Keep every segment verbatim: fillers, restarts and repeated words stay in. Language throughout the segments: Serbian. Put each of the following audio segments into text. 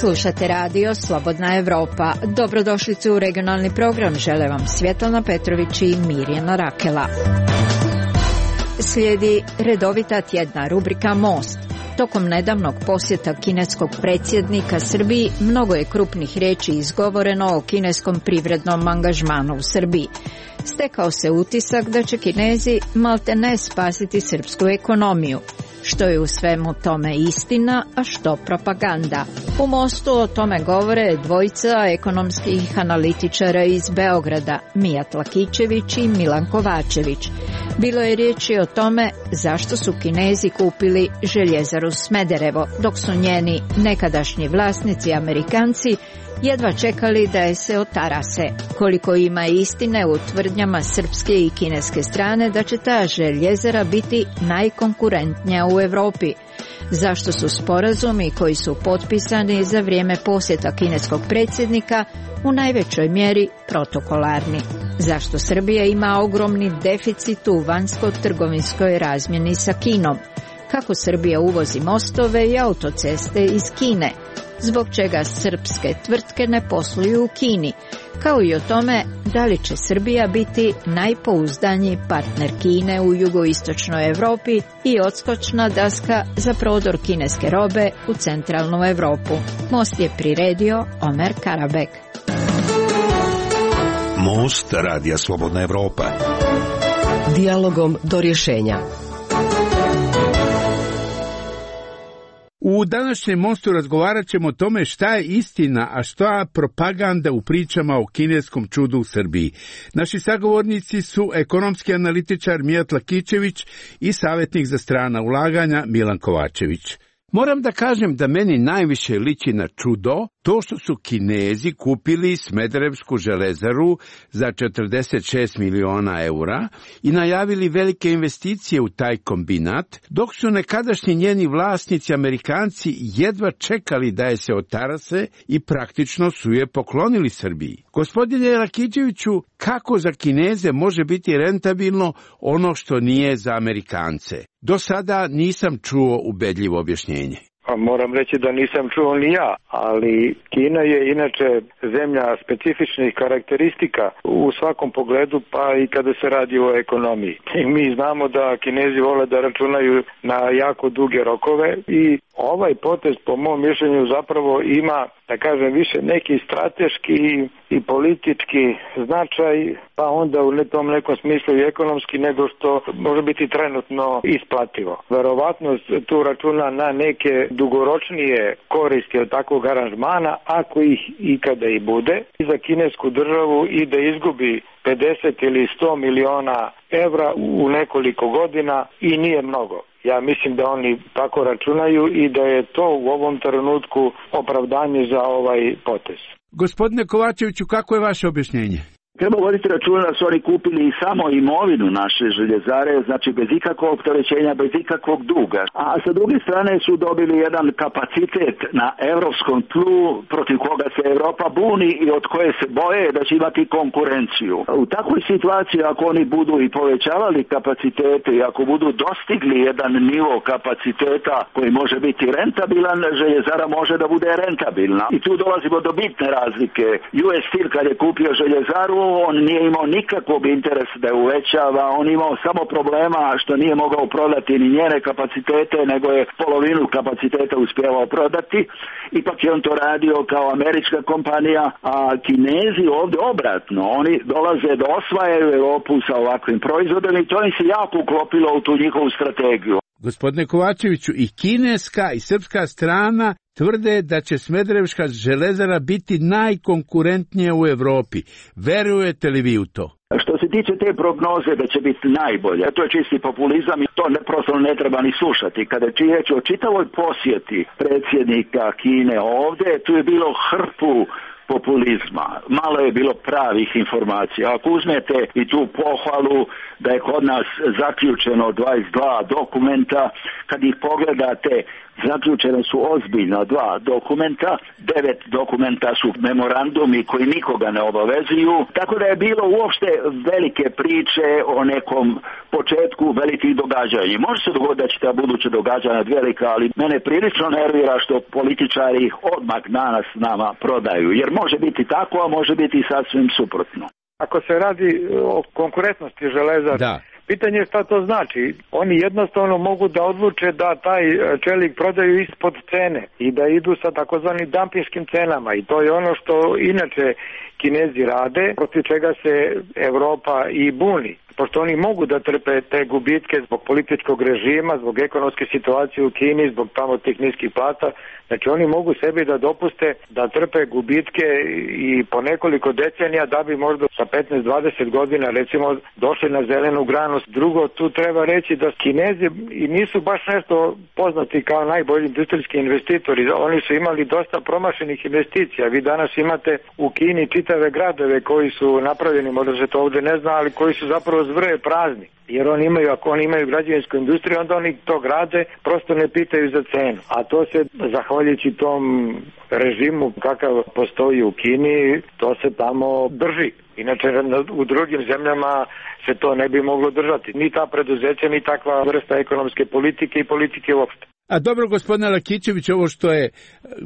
Slušate radio Slobodna Evropa. Dobrodošlicu u regionalni program. Žele vam Svjetlana Petrović i Mirjana Rakela. Slijedi redovita tjedna rubrika Most. Tokom nedavnog posjeta kineskog predsjednika Srbiji mnogo je krupnih riječi izgovoreno o kineskom privrednom angažmanu u Srbiji. Stekao se utisak da će Kinezi maltene spasiti srpsku ekonomiju. Što je u svemu tome istina, a što propaganda? U Mostu o tome govore dvojica ekonomskih analitičara iz Beograda, Mijat Lakićević i Milan Kovačević. Bilo je riječi o tome zašto su Kinezi kupili željezaru Smederevo, dok su njeni nekadašnji vlasnici Amerikanci jedva čekali da je se otarase. Koliko ima istine u tvrdnjama srpske i kineske strane da će ta željezara biti najkonkurentnija u Europi? Zašto su sporazumi koji su potpisani za vrijeme posjeta kineskog predsjednika u najvećoj mjeri protokolarni? Zašto Srbija ima ogromni deficit u vanjsko-trgovinskoj razmjeni sa Kinom? Kako Srbija uvozi mostove i autoceste iz Kine? Zbog čega srpske tvrtke ne posluju u Kini, kao i o tome da li će Srbija biti najpouzdaniji partner Kine u jugoistočnoj Europi i odskočna daska za prodor kineske robe u centralnu Europu. Most je priredio Omer Karabek. Most radija Slobodna Evropa. Dijalogom do rješenja. U današnjem Mostu razgovarat ćemo o tome šta je istina, a šta je propaganda u pričama o kineskom čudu u Srbiji. Naši sagovornici su ekonomski analitičar Mijat Lakićević i savjetnik za strana ulaganja Milan Kovačević. Moram da kažem da meni najviše liči na čudo to što su Kinezi kupili Smederevsku železaru za četrdeset šest miliona eura i najavili velike investicije u taj kombinat, dok su nekadašnji njeni vlasnici Amerikanci jedva čekali da je se otarase i praktično su je poklonili Srbiji. Gospodine Lakićeviću, kako za Kineze može biti rentabilno ono što nije za Amerikance? Do sada nisam čuo ubedljivo objašnjenje. Pa moram reći da nisam čuo ni ja, ali Kina je inače zemlja specifičnih karakteristika u svakom pogledu, pa i kada se radi o ekonomiji. I mi znamo da Kinezi vole da računaju na jako duge rokove i ovaj potez po mom mišljenju zapravo ima, da kažem, više neki strateški i politički značaj, pa onda u tom nekom smislu i ekonomski nego što može biti trenutno isplativo. Verovatno tu računa na neke dugoročnije koristi od takvog aranžmana, ako ih ikada i bude, i za kinesku državu i da izgubi pedeset ili sto miliona evra u nekoliko godina i nije mnogo. Ja mislim da oni tako računaju i da je to u ovom trenutku opravdanje za ovaj potez. Gospodine Kovačeviću, kako je vaše objašnjenje? Treba voditi računa da su oni kupili i samo imovinu naše željezare, znači bez ikakvog opterećenja, bez ikakvog duga. A sa druge strane su dobili jedan kapacitet na europskom tlu protiv koga se Europa buni i od koje se boje da će imati konkurenciju. U takvoj situaciji, ako oni budu i povećavali kapacitete i ako budu dostigli jedan nivo kapaciteta koji može biti rentabilan, željezara može da bude rentabilna. I tu dolazimo do bitne razlike. U S Steel kad je kupio željezaru, on nije imao nikakvog interesa da je uvećava, on imao samo problema što nije mogao prodati ni njene kapacitete, nego je polovinu kapaciteta uspjevao prodati. Ipak je on to radio kao američka kompanija, a Kinezi ovdje obratno. Oni dolaze da osvajaju Europu sa ovakvim proizvodom i to im se jako uklopilo u tu njihovu strategiju. Gospodine Kovačeviću, i kineska i srpska strana tvrde da će Smederevska železara biti najkonkurentnija u Europi. Verujete li vi u to? Što se tiče te prognoze da će biti najbolje, to je čisti populizam i to ne, prosto ne treba ni slušati. Kada je riječ o čitavoj posjeti predsjednika Kine ovdje, tu je bilo hrpu populizma. Malo je bilo pravih informacija. Ako uzmete i tu pohvalu da je kod nas zaključeno dvadeset dva dokumenta, kad ih pogledate zaključene su ozbiljna dva dokumenta, devet dokumenta su memorandumi koji nikoga ne obavezuju, tako da je bilo uopšte velike priče o nekom početku velikih događanja. Može se dogoditi da će ta buduća događanja velika, ali mene prilično nervira što političari ih odmah danas nama prodaju, jer može biti tako, a može biti sasvim suprotno. Ako se radi o konkurentnosti železara, da. Pitanje je šta to znači. Oni jednostavno mogu da odluče da taj čelik prodaju ispod cene i da idu sa takozvanim dampinškim cenama i to je ono što inače Kinezi rade, protiv čega se Evropa i buni. Pošto oni mogu da trpe te gubitke zbog političkog režima, zbog ekonomske situacije u Kini, zbog tamo tih niskih plata, znači oni mogu sebi da dopuste da trpe gubitke i po nekoliko decenija da bi možda sa petnaest do dvadeset godina recimo došli na zelenu granu. Drugo, tu treba reći da Kinezi i nisu baš nešto poznati kao najbolji industrijski investitori. Oni su imali dosta promašenih investicija. Vi danas imate u Kini čitave gradove koji su napravljeni, možda se to ovdje ne zna, ali koji su zapravo zvrje prazni. Jer oni imaju, ako oni imaju građevinsku industriju, onda oni to grade, prosto ne pitaju za cenu. A to se, zahvaljujući tom režimu kakav postoji u Kini, to se tamo drži. Inače, u drugim zemljama se to ne bi moglo držati. Ni ta preduzeća, ni takva vrsta ekonomske politike i politike uopšte. A dobro, gospodine Lakićević, ovo što je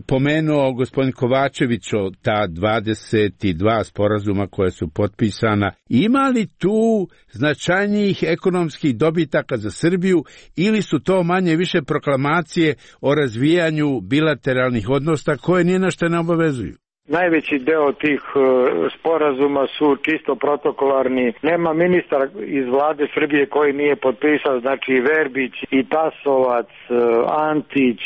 pomenuo gospodin Kovačević o ta dvadeset dva sporazuma koje su potpisana, ima li tu značajnijih ekonomskih dobitaka za Srbiju ili su to manje više proklamacije o razvijanju bilateralnih odnosa koje nije na što ne obavezuju? Najveći deo tih sporazuma su čisto protokolarni. Nema ministar iz vlade Srbije koji nije potpisao, znači Verbić i Tasovac, Antić,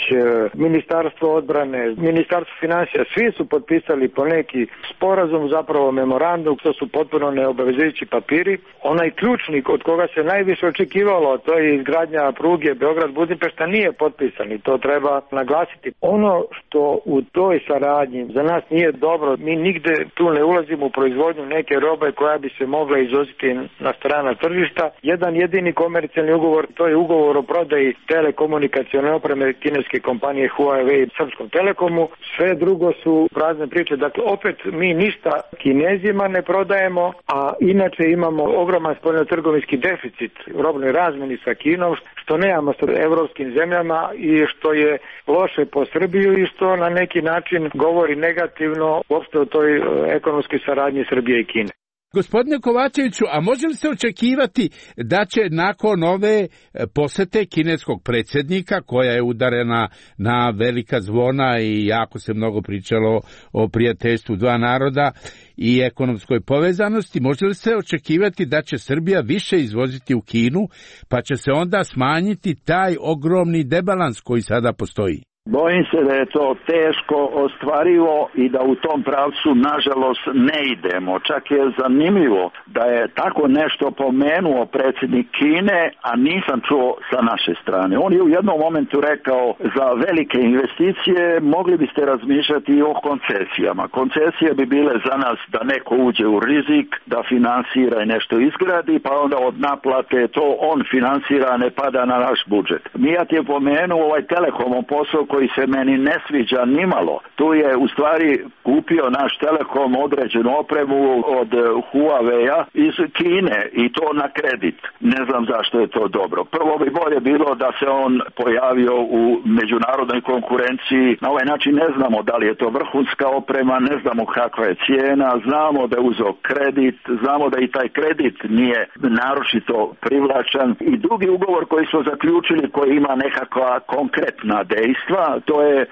Ministarstvo odbrane, Ministarstvo finansija, svi su potpisali po neki sporazum, zapravo memorandum, to su potpuno neobavezujući papiri. Onaj ključnik od koga se najviše očekivalo, to je izgradnja pruge Beograd-Budimpešta, nije potpisan i to treba naglasiti. Ono što u toj saradnji za nas nije dobro, mi nigde tu ne ulazimo u proizvodnju neke robe koja bi se mogla izvoziti na strana tržišta. Jedan jedini komercijalni ugovor, to je ugovor o prodaji telekomunikacione opreme kineske kompanije Huawei Srpskom Telekomu. Sve drugo su prazne priče. Dakle, opet mi ništa Kinezima ne prodajemo, a inače imamo ogroman spoljnotrgovinski deficit u robnoj razmeni sa Kinom, što nemamo sa evropskim zemljama i što je loše po Srbiju i što na neki način govori negativno uopšte o toj ekonomskoj saradnji Srbije i Kine. Gospodine Kovačeviću, a može li se očekivati da će nakon ove posete kineskog predsjednika, koja je udarena na velika zvona i jako se mnogo pričalo o prijateljstvu dva naroda i ekonomskoj povezanosti, može li se očekivati da će Srbija više izvoziti u Kinu, pa će se onda smanjiti taj ogromni debalans koji sada postoji? Bojim se da je to teško ostvarivo i da u tom pravcu nažalost ne idemo. Čak je zanimljivo da je tako nešto pomenuo predsjednik Kine, a nisam čuo sa naše strane. On je u jednom momentu rekao za velike investicije mogli biste razmišljati i o koncesijama. Koncesije bi bile za nas da neko uđe u rizik, da finansira i nešto izgradi, pa onda od naplate to on finansira, ne pada na naš budžet. Mijat je pomenuo ovaj Telekomom posao koji se meni ne sviđa nimalo. Tu je u stvari kupio naš Telekom određenu opremu od Huawei-a iz Kine i to na kredit. Ne znam zašto je to dobro. Prvo bi bolje bilo da se on pojavio u međunarodnoj konkurenciji. Na ovaj način ne znamo da li je to vrhunska oprema, ne znamo kakva je cijena, znamo da je uzeo kredit, znamo da i taj kredit nije naročito privlačan. I drugi ugovor koji smo zaključili koji ima nekakva konkretna dejstva, to je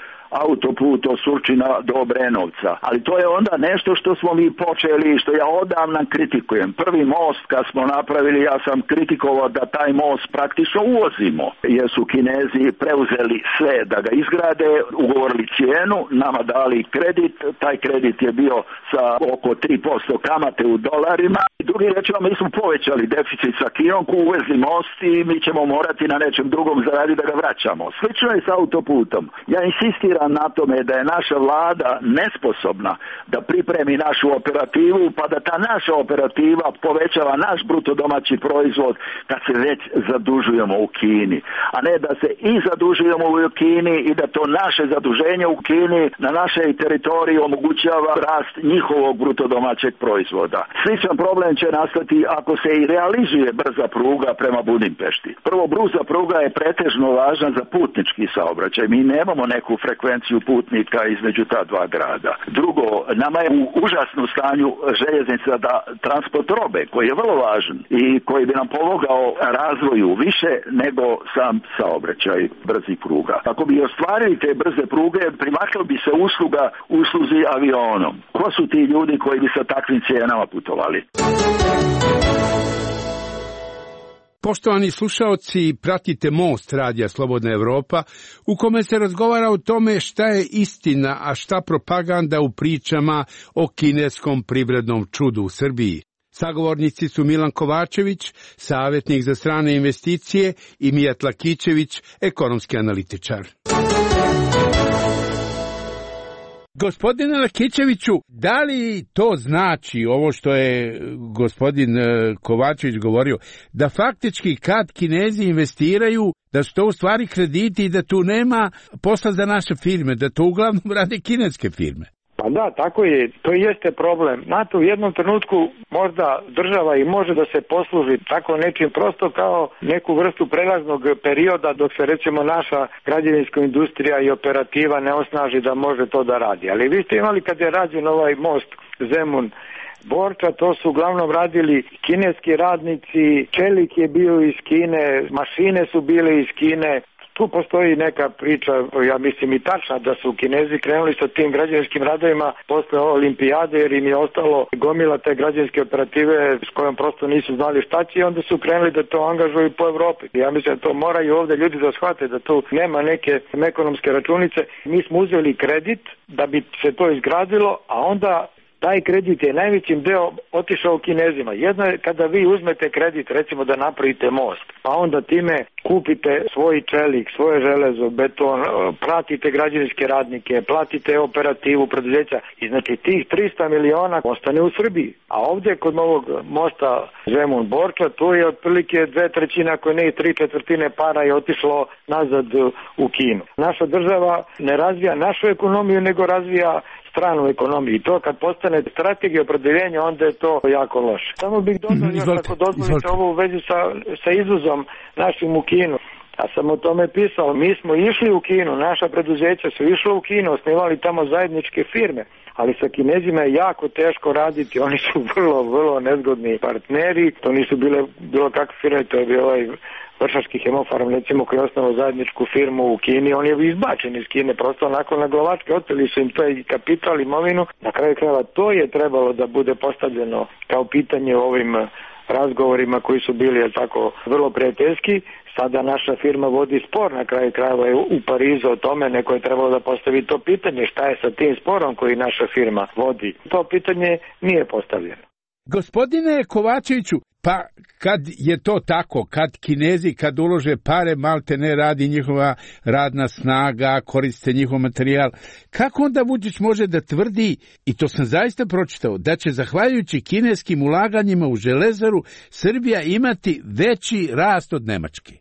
autoput od Surčina do Obrenovca. Ali to je onda nešto što smo mi počeli, što ja odavno kritikujem. Prvi most kad smo napravili, ja sam kritikovao da taj most praktično uvozimo, jer su Kinezi preuzeli sve da ga izgrade, ugovorili cijenu, nama dali kredit, taj kredit je bio sa oko tri posto kamate u dolarima. I drugi rečeno, mi smo povećali deficit sa Kinom, uvezli most i mi ćemo morati na nečem drugom zaraditi da ga vraćamo. Slično je sa autoputom. Ja insistiram sam na tome da je naša vlada nesposobna da pripremi našu operativu, pa da ta naša operativa povećava naš bruto domaći proizvod kad se već zadužujemo u Kini, a ne da se i zadužujemo u Kini i da to naše zaduženje u Kini na našoj teritoriji omogućava rast njihovog bruto domaćeg proizvoda. Sličan problem će nastati ako se i realizuje brza pruga prema Budimpešti. Prvo, brza pruga je pretežno važna za putnički saobraćaj. Mi nemamo neku frekvenciju putnika između ta dva grada. Drugo, nama je u užasnom stanju željeznica da transport robe, koji je vrlo važan i koji bi nam pomogao razvoju više nego sam saobraćaj brzih pruga. Ako bi ostvarili te brze pruge, primakla bi se usluga usluzi avionom. Ko su ti ljudi koji bi sa takvim cijenama putovali? Poštovani slušaoci, pratite Most radija Slobodna Evropa, u kome se razgovara o tome šta je istina, a šta propaganda u pričama o kineskom privrednom čudu u Srbiji. Sagovornici su Milan Kovačević, savjetnik za strane investicije, i Mijat Lakićević, ekonomski analitičar. Gospodine Lakićeviću, da li to znači, ovo što je gospodin Kovačević govorio, da faktički kad Kinezi investiraju, da su to u stvari krediti i da tu nema posla za naše firme, da to uglavnom rade kineske firme? Pa da, tako je, to jeste problem. Znate, u jednom trenutku možda država i može da se posluži tako nečim prosto kao neku vrstu prelaznog perioda dok se recimo naša građevinska industrija i operativa ne osnaži da može to da radi. Ali vi ste imali kad je rađen ovaj most Zemun Borča, to su uglavnom radili kineski radnici, čelik je bio iz Kine, mašine su bile iz Kine. Tu postoji neka priča, ja mislim i tačna, da su Kinezi krenuli sa tim građevinskim radovima posle olimpijade, jer im je ostalo gomila te građevinske operative s kojom prosto nisu znali šta će, i onda su krenuli da to angažuju po Evropi. Ja mislim da to moraju ovde ljudi da shvate, da tu nema neke ekonomske računice. Mi smo uzeli kredit da bi se to izgradilo, a onda taj kredit je najvećim deo otišao Kinezima. Jedno je kada vi uzmete kredit, recimo da napravite most, pa onda time kupite svoj čelik, svoje železo, beton, platite građevinske radnike, platite operativu preduzeća i znači tih trista miliona ostane u Srbiji. A ovdje kod ovog mosta Zemun Borča, tu je otprilike dve trećine, ako ne i tri četvrtine para je otišlo nazad u Kinu. Naša država ne razvija našu ekonomiju, nego razvija stranu ekonomiju. I to kad postane strategija opredeljenja, onda je to jako loše. Samo bih dodao još, ako dozvolite, ovo u vezi sa, sa izvozom našim u Kinu. Ja sam o tome pisao. Mi smo išli u Kinu, naša preduzeća su išla u Kinu, osnivali tamo zajedničke firme, ali sa Kinezima je jako teško raditi. Oni su vrlo, vrlo nezgodni partneri. To nisu bile bilo kakve firme, to je bio ovaj Vršački hemofarm, recimo, koji je osnovao zajedničku firmu u Kini. On je izbačen iz Kine, prosto onako na glavačke, oteli su im to i kapital, imovinu. Na kraju krajeva to je trebalo da bude postavljeno kao pitanje u ovim razgovorima koji su bili, jel tako, vrlo prijateljski. Sada naša firma vodi spor, na kraju krajeva je u Parizu o tome, neko je trebalo da postavi to pitanje, šta je sa tim sporom koji naša firma vodi. To pitanje nije postavljeno. Gospodine Kovačeviću, pa kad je to tako, kad Kinezi kad ulože pare, malte ne radi njihova radna snaga, koriste njihov materijal, kako onda Vučić može da tvrdi, i to sam zaista pročitao, da će zahvaljujući kineskim ulaganjima u železaru Srbija imati veći rast od Nemačke?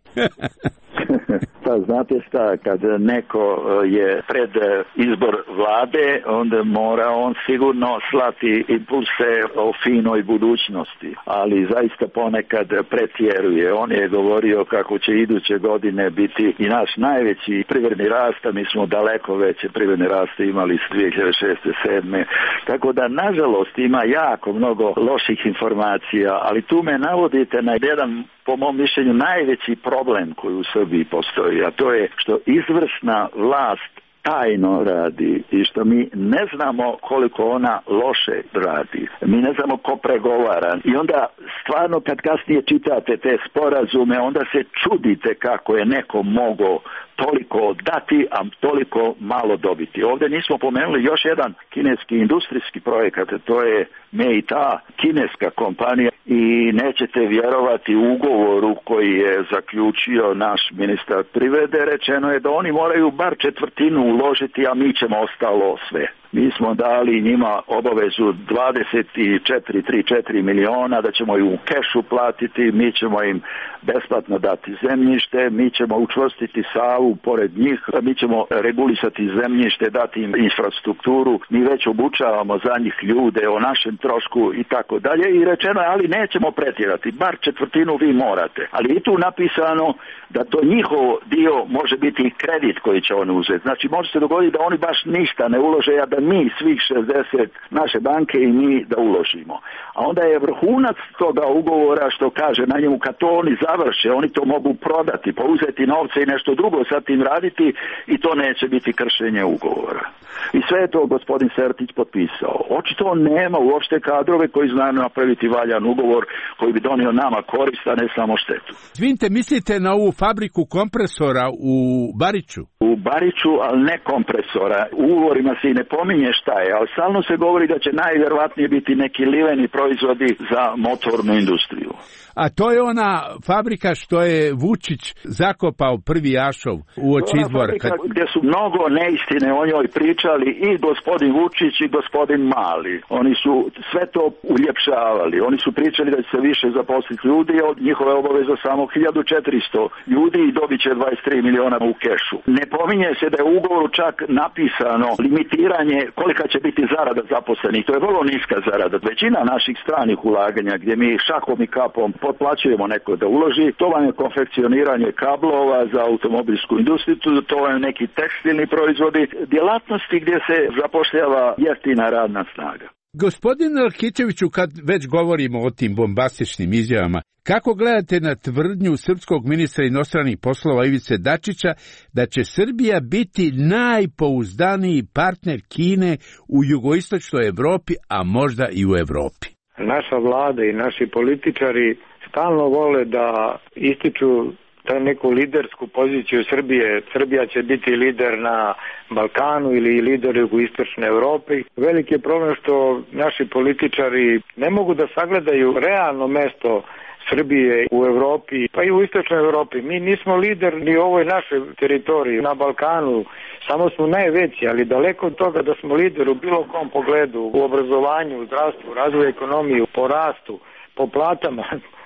Pa znate šta, kad neko je pred izbor vlade, onda mora on sigurno slati impulse o finoj budućnosti, ali zaista ponekad pretjeruje. On je govorio kako će iduće godine biti i naš najveći privredni rast, a mi smo daleko veće privredni raste imali s dvije hiljade šeste sedme. Tako da, nažalost, ima jako mnogo loših informacija, ali tu me navodite na jedan, po mom mišljenju, najveći problem koji u Srbiji postoji, a to je što izvršna vlast tajno radi i što mi ne znamo koliko ona loše radi. Mi ne znamo ko pregovara. I onda stvarno kad kasnije čitate te sporazume, onda se čudite kako je neko mogao toliko dati, a toliko malo dobiti. Ovdje nismo pomenuli još jedan kineski industrijski projekat, to je Meita, kineska kompanija, i nećete vjerovati ugovoru koji je zaključio naš ministar privrede, rečeno je da oni moraju bar četvrtinu uložiti, a mi ćemo ostalo sve. Mi smo dali njima obavezu dvadeset četiri, trideset četiri miliona, da ćemo im u kešu platiti, mi ćemo im besplatno dati zemljište, mi ćemo učvrstiti Savu pored njih, mi ćemo regulisati zemljište, dati im infrastrukturu, mi već obučavamo za njih ljude o našem trošku i tako dalje, i rečeno je, ali nećemo pretjerati, bar četvrtinu vi morate. Ali i tu napisano da to njihov dio može biti i kredit koji će oni uzeti. Znači može se dogoditi da oni baš ništa ne ulože, a da mi svih šezdeset naše banke i mi da uložimo. A onda je vrhunac toga ugovora što kaže na njemu, kad to oni završe, oni to mogu prodati, pa uzeti novce i nešto drugo sa tim raditi, i to neće biti kršenje ugovora. I sve je to gospodin Sertić potpisao. Očito nema uopšte kadrove koji znaju napraviti valjan ugovor koji bi donio nama korist, a ne samo štetu. Izvinite, mislite na ovu fabriku kompresora u Bariču? U Bariču, ali ne kompresora. U ugovorima se i ne pominje šta je, ali stalno se govori da će najvjerovatnije biti neki liveni proizvodi za motornu industriju. A to je ona fabrika što je Vučić zakopao prvi ašov u oči izbora. Kad... Gdje su mnogo neistine o njoj pričali i gospodin Vučić i gospodin Mali. Oni su sve to uljepšavali. Oni su pričali da će se više zaposliti ljudi, od njihove obaveze samo hiljadu četiristo ljudi i dobit će dvadeset tri miliona u kešu. Ne pominje se da je u ugovoru čak napisano limitiranje kolika će biti zarada zaposlenih. To je vrlo niska zarada. Većina naših stranih ulaganja gdje mi šakom i kapom potplaćujemo neko da uloži, to vam je konfekcioniranje kablova za automobilsku industriju, to vam je neki tekstilni proizvodi, djelatnosti gdje se zapošljava jeftina radna snaga. Gospodin Elkićeviću, kad već govorimo o tim bombastičnim izjavama, kako gledate na tvrdnju srpskog ministra inostranih poslova Ivice Dačića da će Srbija biti najpouzdaniji partner Kine u jugoistočnoj Evropi, a možda i u Evropi? Naša vlada i naši političari stalno vole da ističu da neku lidersku poziciju Srbije. Srbija će biti lider na Balkanu ili lider u jugoistočnoj Evropi. Veliki je problem što naši političari ne mogu da sagledaju realno mesto Srbije u Evropi, pa i u istočnoj Evropi. Mi nismo lider ni u ovoj našoj teritoriji na Balkanu, samo smo najveći, ali daleko od toga da smo lider u bilo kom pogledu, u obrazovanju, u zdravstvu, razvoju ekonomije, po rastu, po platama.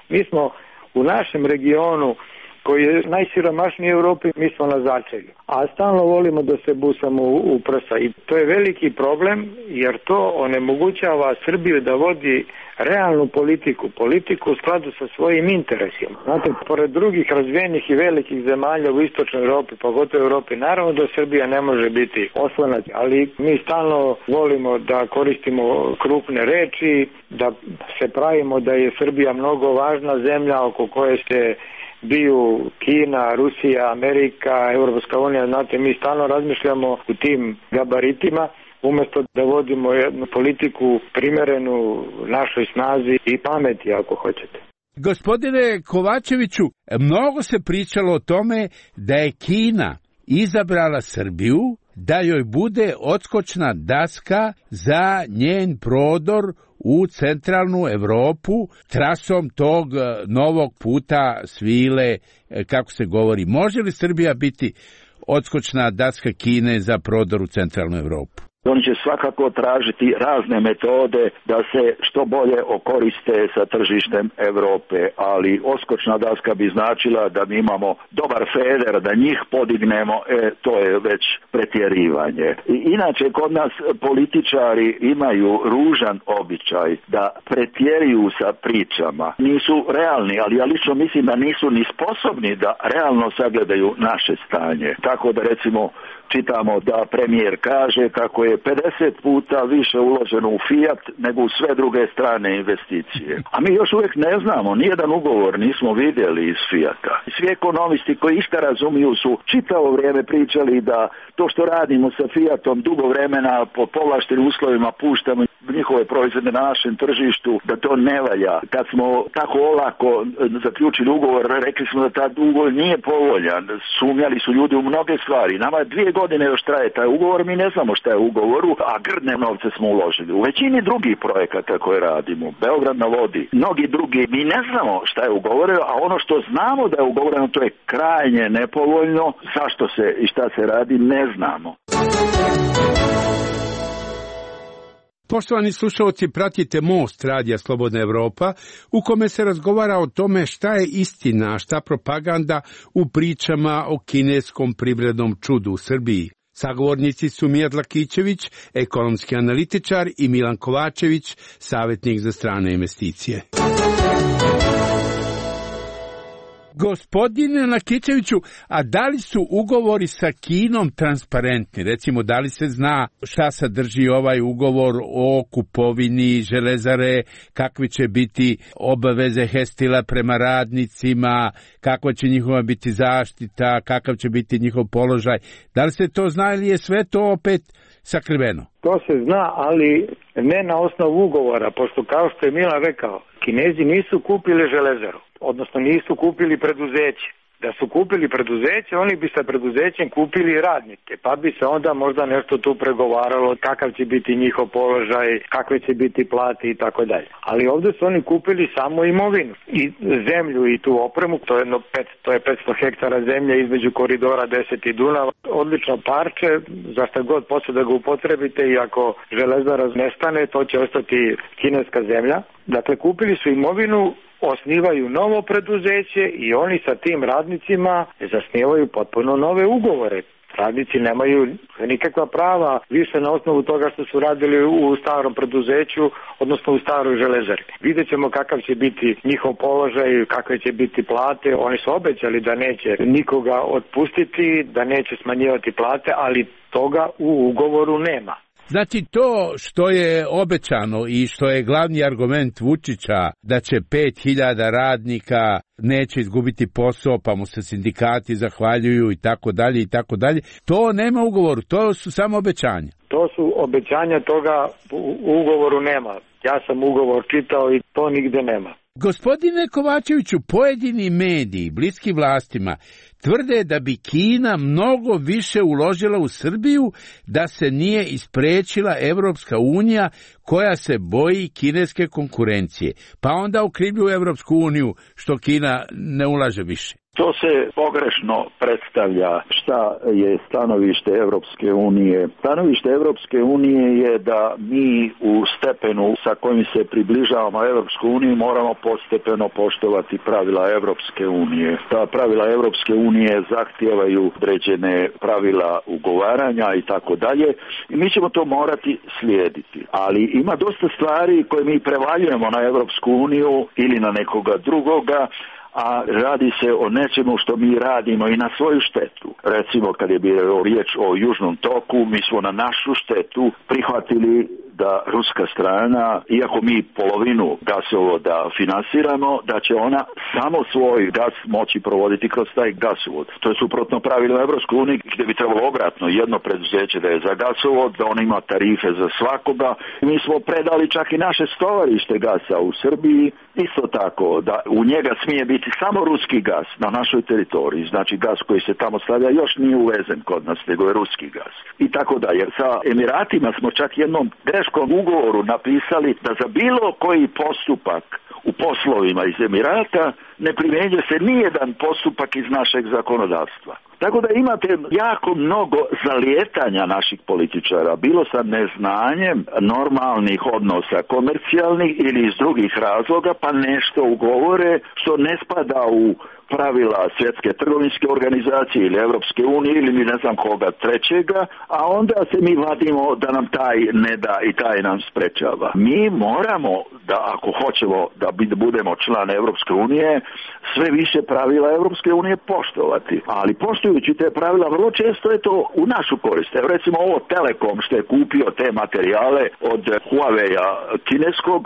Mi smo u našem regionu koji je najsiromašniji u Evropi, mi smo na začelju. A stalno volimo da se busamo u, u prsa. I to je veliki problem, jer to onemogućava Srbiju da vodi realnu politiku, politiku u skladu sa svojim interesima. Znate, pored drugih razvijenih i velikih zemalja u istočnoj Evropi, pogotovo u Evropi, naravno da Srbija ne može biti oslonac, ali mi stalno volimo da koristimo krupne reči, da se pravimo da je Srbija mnogo važna zemlja oko koje se biju Kina, Rusija, Amerika, Europska unija. Znate, mi stalno razmišljamo u tim gabaritima, umjesto da vodimo jednu politiku primerenu našoj snazi i pameti, ako hoćete. Gospodine Kovačeviću, mnogo se pričalo o tome da je Kina izabrala Srbiju da joj bude odskočna daska za njen prodor u centralnu Evropu trasom tog novog puta svile, kako se govori. Može li Srbija biti odskočna daska Kine za prodor u centralnu Evropu? Oni će svakako tražiti razne metode da se što bolje okoriste sa tržištem Evrope, ali odskočna daska bi značila da mi imamo dobar feder, da njih podignemo, e, to je već pretjerivanje. I inače, kod nas političari imaju ružan običaj da pretjeruju sa pričama. Nisu realni, ali ja lično mislim da nisu ni sposobni da realno sagledaju naše stanje. Tako da recimo čitamo da premijer kaže kako je pedeset puta više uloženo u Fiat nego u sve druge strane investicije. A mi još uvijek ne znamo, nijedan ugovor nismo vidjeli iz Fiata. Svi ekonomisti koji išta razumiju su čitavo vrijeme pričali da to što radimo sa Fiatom dugo vremena po povlaštenim uslovima puštamo, njihove proizvode na našem tržištu, da to ne valja. Kad smo tako olako zaključili ugovor, rekli smo da taj ugovor nije povoljan. Sumnjali su ljudi u mnoge stvari. Nama je dvije godine još traje taj ugovor, mi ne znamo šta je u ugovoru, a grdne novce smo uložili. U većini drugih projekata koje radimo, Beograd na vodi, mnogi drugi, mi ne znamo šta je ugovoreno, a ono što znamo da je ugovoreno, to je krajnje nepovoljno. Zašto se i šta se radi, ne znamo. Poštovani slušalci, pratite Most Radija Slobodna Evropa, u kome se razgovara o tome šta je istina, a šta propaganda u pričama o kineskom privrednom čudu u Srbiji. Sagovornici su Mijat Lakićević, ekonomski analitičar, i Milan Kovačević, savjetnik za strane investicije. Gospodine Lakićeviću, a da li su ugovori sa Kinom transparentni? Recimo, da li se zna šta sadrži ovaj ugovor o kupovini železare, kakve će biti obaveze Hestila prema radnicima, kakva će njihova biti zaštita, kakav će biti njihov položaj? Da li se to zna ili je sve to opet sakriveno? To se zna, ali ne na osnovu ugovora, pošto kao što je Milan rekao, Kinezi nisu kupili železaru, odnosno nisu kupili preduzeće. Da su kupili preduzeće, oni bi sa preduzećem kupili radnike, pa bi se onda možda nešto tu pregovaralo, kakav će biti njihov položaj, kakve će biti plati i tako dalje. Ali ovdje su oni kupili samo imovinu i zemlju i tu opremu, to je, jedno pet, to je petsto hektara zemlje između koridora deset i Dunava, odlično parče, za šta god posle da ga upotrebite, i ako železara nestane, to će ostati kineska zemlja. Dakle, kupili su imovinu, osnivaju novo preduzeće i oni sa tim radnicima zasnivaju potpuno nove ugovore. Radnici nemaju nikakva prava više na osnovu toga što su radili u starom preduzeću, odnosno u staroj železari. Vidjet ćemo kakav će biti njihov položaj, kakve će biti plate. Oni su obećali da neće nikoga otpustiti, da neće smanjivati plate, ali toga u ugovoru nema. Znači, to što je obećano i što je glavni argument Vučića da će pet hiljada radnika neće izgubiti posao, pa mu se sindikati zahvaljuju i tako dalje i tako dalje, to nema u ugovoru, to su samo obećanja. To su obećanja, toga u ugovoru nema. Ja sam ugovor čitao i to nigde nema. Gospodine Kovačeviću, pojedini mediji, bliski vlastima, tvrde da bi Kina mnogo više uložila u Srbiju da se nije isprečila Evropska unija koja se boji kineske konkurencije. Pa onda okrivljuju Evropsku uniju što Kina ne ulaže više. To se pogrešno predstavlja šta je stanovište Evropske unije. Stanovište Evropske unije je da mi u stepenu sa kojim se približavamo Evropsku uniju moramo postepeno poštovati pravila Evropske unije. Ta pravila Evropske unije zahtijevaju određene pravila ugovaranja i tako dalje i mi ćemo to morati slijediti. Ali ima dosta stvari koje mi prevaljujemo na Evropsku uniju ili na nekoga drugoga, a radi se o nečemu što mi radimo i na svoju štetu. Recimo, kad je bilo riječ o Južnom toku, mi smo na našu štetu prihvatili da ruska strana, iako mi polovinu gasovoda finansiramo, da će ona samo svoj gas moći provoditi kroz taj gasovod. To je suprotno pravilima Evropske unije, gdje bi trebalo obratno jedno preduzeće da je za gasovod, da on ima tarife za svakoga. Mi smo predali čak i naše stovarište gasa u Srbiji, isto tako da u njega smije biti samo ruski gas na našoj teritoriji, znači gas koji se tamo stavlja još nije uvezen kod nas, nego je ruski gas. I tako da, jer sa Emiratima smo čak jednom greškom ugovoru napisali da za bilo koji postupak u poslovima iz Emirata ne primjenjuje se nijedan postupak iz našeg zakonodavstva. Tako da imate jako mnogo zalijetanja naših političara, bilo sa neznanjem normalnih odnosa komercijalnih ili iz drugih razloga, pa nešto ugovore što ne spada u pravila Svjetske trgovinske organizacije ili Evropske unije ili ne znam koga trećega, a onda se mi vadimo da nam taj ne da i taj nam sprečava. Mi moramo da, ako hoćemo da budemo član Evropske unije, sve više pravila Evropske unije poštovati. Ali poštujući te pravila, vrlo često je to u našu korist. Evo recimo ovo Telekom što je kupio te materijale od Huawei-a kineskog,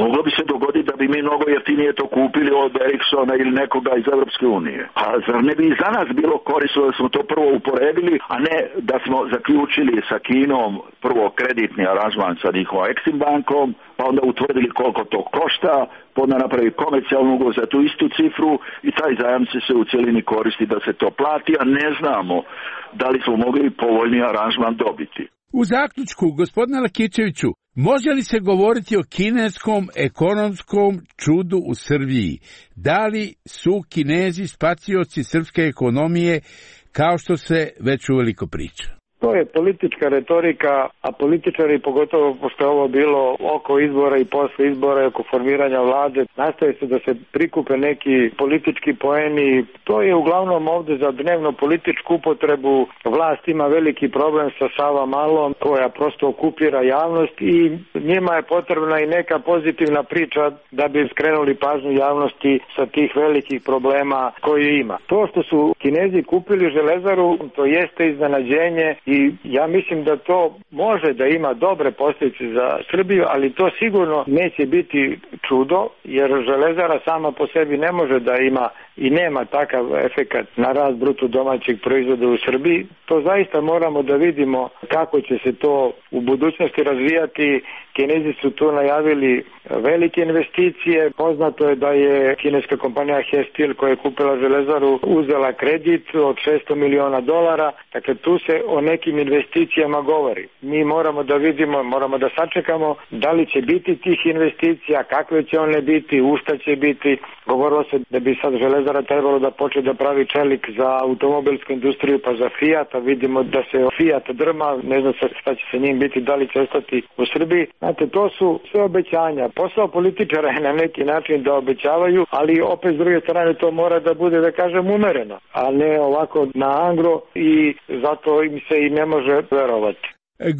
moglo bi se dogoditi da bi mi mnogo jeftinije to kupili od Ericssona ili nekoga iz Evropske unije. A zar ne bi za nas bilo korisno da smo to prvo uporedili, a ne da smo zaključili sa Kinom prvo kreditni aranžman sa njihovom Exim bankom, pa onda utvrdili koliko to košta, pa onda napravi komercijalnu ugovor za tu istu cifru i taj zajam će se u cjelini koristi da se to plati, a ne znamo da li smo mogli povoljni aranžman dobiti. U zaključku, gospodine Lakićeviću, može li se govoriti o kineskom ekonomskom čudu u Srbiji? Da li su Kinezi spacioci srpske ekonomije, kao što se već uveliko priča? To je politička retorika, a političari, pogotovo pošto je ovo bilo oko izbora i posle izbora i oko formiranja vlade, nastaje se da se prikupe neki politički poeni. To je uglavnom ovde za dnevno političku upotrebu. Vlast ima veliki problem sa Sava Malom, koja prosto okupira javnost i njima je potrebna i neka pozitivna priča da bi skrenuli pažnju javnosti sa tih velikih problema koje ima. To što su Kinezi kupili Železaru, to jeste iznenađenje i ja mislim da to može da ima dobre posljedice za Srbiju, ali to sigurno neće biti čudo, jer Železara sama po sebi ne može da ima i nema takav efekat na rast bruto domaćeg proizvoda u Srbiji. To zaista moramo da vidimo kako će se to u budućnosti razvijati. Kinezi su tu najavili velike investicije. Poznato je da je kineska kompanija Hestil, koja je kupila Železaru, uzela kredit od šesto miliona dolara. Dakle, tu se o nekim investicijama govori. Mi moramo da vidimo, moramo da sačekamo da li će biti tih investicija, kakve će one biti, u šta će biti. Govorilo se da bi sad Železara trebalo da počne da pravi čelik za automobilsku industriju, pa za Fiat, a vidimo da se Fiat drma, ne znam šta će sa njim biti, da li će ostati u Srbiji. Znate, to su sve obećanja. Posao političara je na neki način da obećavaju, ali opet s druge strane to mora da bude, da kažem, umereno, a ne ovako na angro, i zato im se i ne može verovati.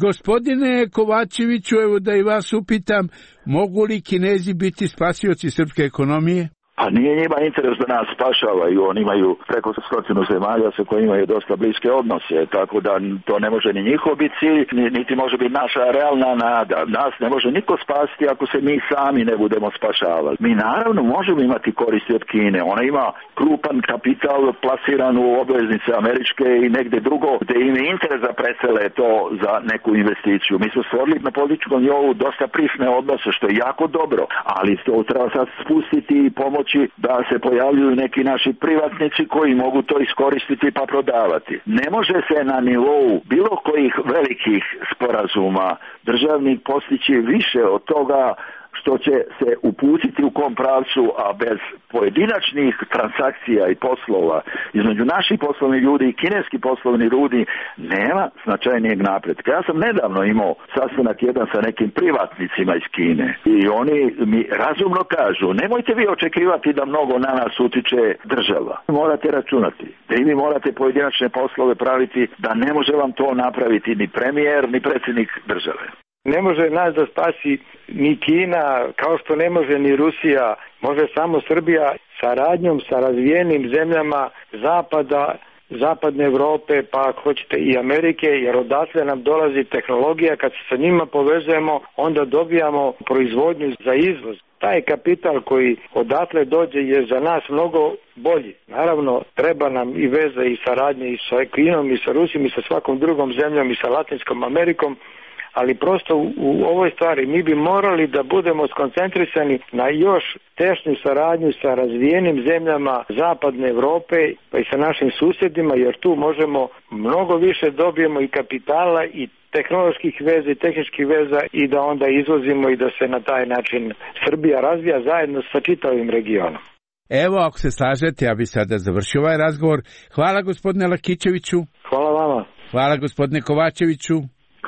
Gospodine Kovačeviću, evo da i vas upitam, mogu li Kinezi biti spasioci srpske ekonomije? A nije njima interes da nas spašavaju, oni imaju preko stotinu zemalja sa kojima imaju dosta bliske odnose, tako da to ne može ni njihov biti cilj, niti može biti naša realna nada. Nas ne može niko spasiti ako se mi sami ne budemo spašavali. Mi naravno možemo imati koristi od Kine, ona ima krupan kapital plasiran u obveznice američke i negde drugo, gde im je interes da presele to za neku investiciju. Mi smo stvorili na političkom nivou dosta prisne odnose, što je jako dobro, ali to treba sad spustiti i pomoći da se pojavljuju neki naši privatnici koji mogu to iskoristiti pa prodavati. Ne može se na nivou bilo kojih velikih sporazuma državnih postići više od toga što će se uputiti u kom pravcu, a bez pojedinačnih transakcija i poslova između naših poslovnih ljudi i kineski poslovni ljudi nema značajnijeg napretka. Ja sam nedavno imao sastanak jedan sa nekim privatnicima iz Kine i oni mi razumno kažu, nemojte vi očekivati da mnogo na nas utiče država. Morate računati da i vi morate pojedinačne poslove praviti, da ne može vam to napraviti ni premijer, ni predsjednik države. Ne može nas da spasi ni Kina, kao što ne može ni Rusija, može samo Srbija saradnjom sa razvijenim zemljama Zapada, Zapadne Evrope, pa ako hoćete i Amerike, jer odatle nam dolazi tehnologija, kad se sa njima povezujemo, onda dobijamo proizvodnju za izvoz. Taj kapital koji odatle dođe je za nas mnogo bolji. Naravno, treba nam i veza i saradnje i sa Kinom, i sa Rusijom, i sa svakom drugom zemljom, i sa Latinskom Amerikom, ali prosto u, u ovoj stvari mi bi morali da budemo skoncentrisani na još tešnju saradnju sa razvijenim zemljama Zapadne Evrope, pa i sa našim susjedima, jer tu možemo mnogo više dobijemo i kapitala i tehnoloških veza i tehničkih veza i da onda izvozimo i da se na taj način Srbija razvija zajedno sa čitavim regionom. Evo, ako se slažete, ja bi sada završio ovaj razgovor. Hvala gospodine Lakićeviću. Hvala vama. Hvala gospodine Kovačeviću.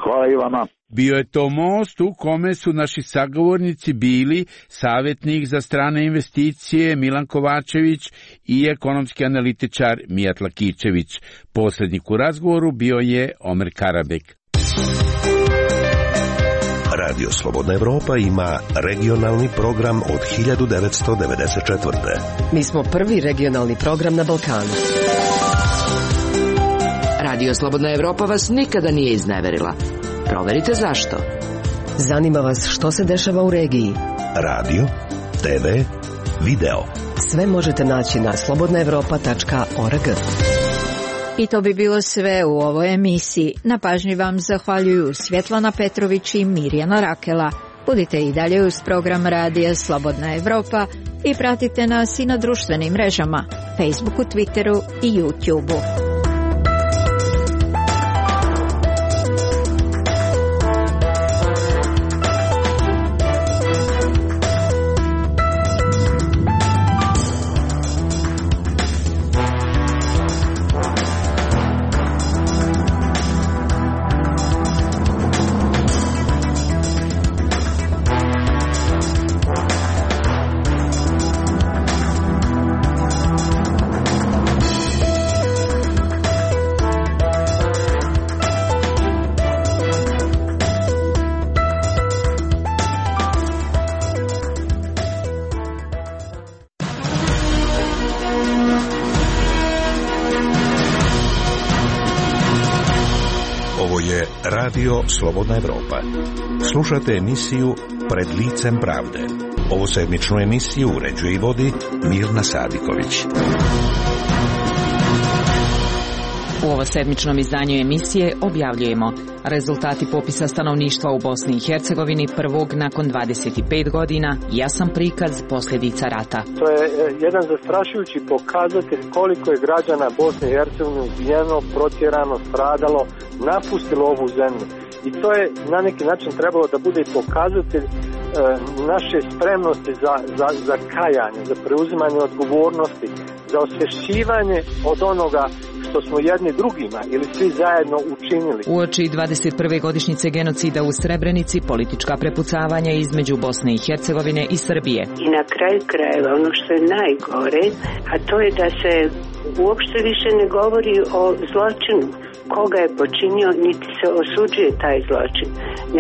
Hvala i vama. Bio je to most u kome su naši sagovornici bili savjetnik za strane investicije Milan Kovačević i ekonomski analitičar Mijat Lakićević. Posrednik u razgovoru bio je Omer Karabek. Radio Slobodna Evropa ima regionalni program od hiljadu devetsto devedeset četvrte. Mi smo prvi regionalni program na Balkanu. Radio Slobodna Evropa vas nikada nije izneverila. Proverite zašto. Zanima vas što se dešava u regiji. Radio, te ve, video. Sve možete naći na slobodna evropa tačka org. I to bi bilo sve u ovoj emisiji. Na pažnji vam zahvaljuju Svjetlana Petrović i Mirjana Rakela. Budite i dalje uz program radija Slobodna Evropa i pratite nas i na društvenim mrežama, Facebooku, Twitteru i YouTubeu. Radio Slobodna Evropa. Slušate emisiju Pred licem pravde. Ovu sedmičnu emisiju uređuje i vodi Mirna Sadiković. U ovo sedmičnom izdanju emisije objavljujemo rezultati popisa stanovništva u Bosni i Hercegovini prvog nakon dvadeset pet godina, jasan prikaz posljedica rata. To je jedan zastrašujući pokazatelj koliko je građana Bosne i Hercegovine ubijeno, protjerano, stradalo, napustilo ovu zemlju. I to je na neki način trebalo da bude pokazatelj e, naše spremnosti za, za, za kajanje, za preuzimanje odgovornosti, za osvješćivanje od onoga što smo jedni drugima ili svi zajedno učinili. Uoči dvadeset prve godišnjice genocida u Srebrenici, politička prepucavanja između Bosne i Hercegovine i Srbije. I na kraju krajeva ono što je najgore, a to je da se uopšte više ne govori o zločinu. Koga je počinio, niti se osuđuje taj zločin,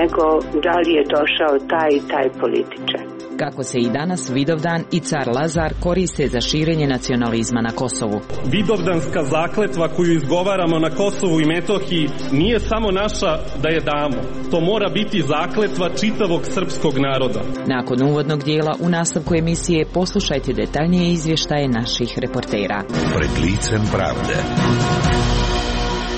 nego da li je došao taj i taj političar. Kako se i danas Vidovdan i car Lazar koriste za širenje nacionalizma na Kosovu. Vidovdanska zakletva koju izgovaramo na Kosovu i Metohiji nije samo naša da je damo. To mora biti zakletva čitavog srpskog naroda. Nakon uvodnog dijela u nastavku emisije poslušajte detaljnije izvještaje naših reportera. Pred licem pravde.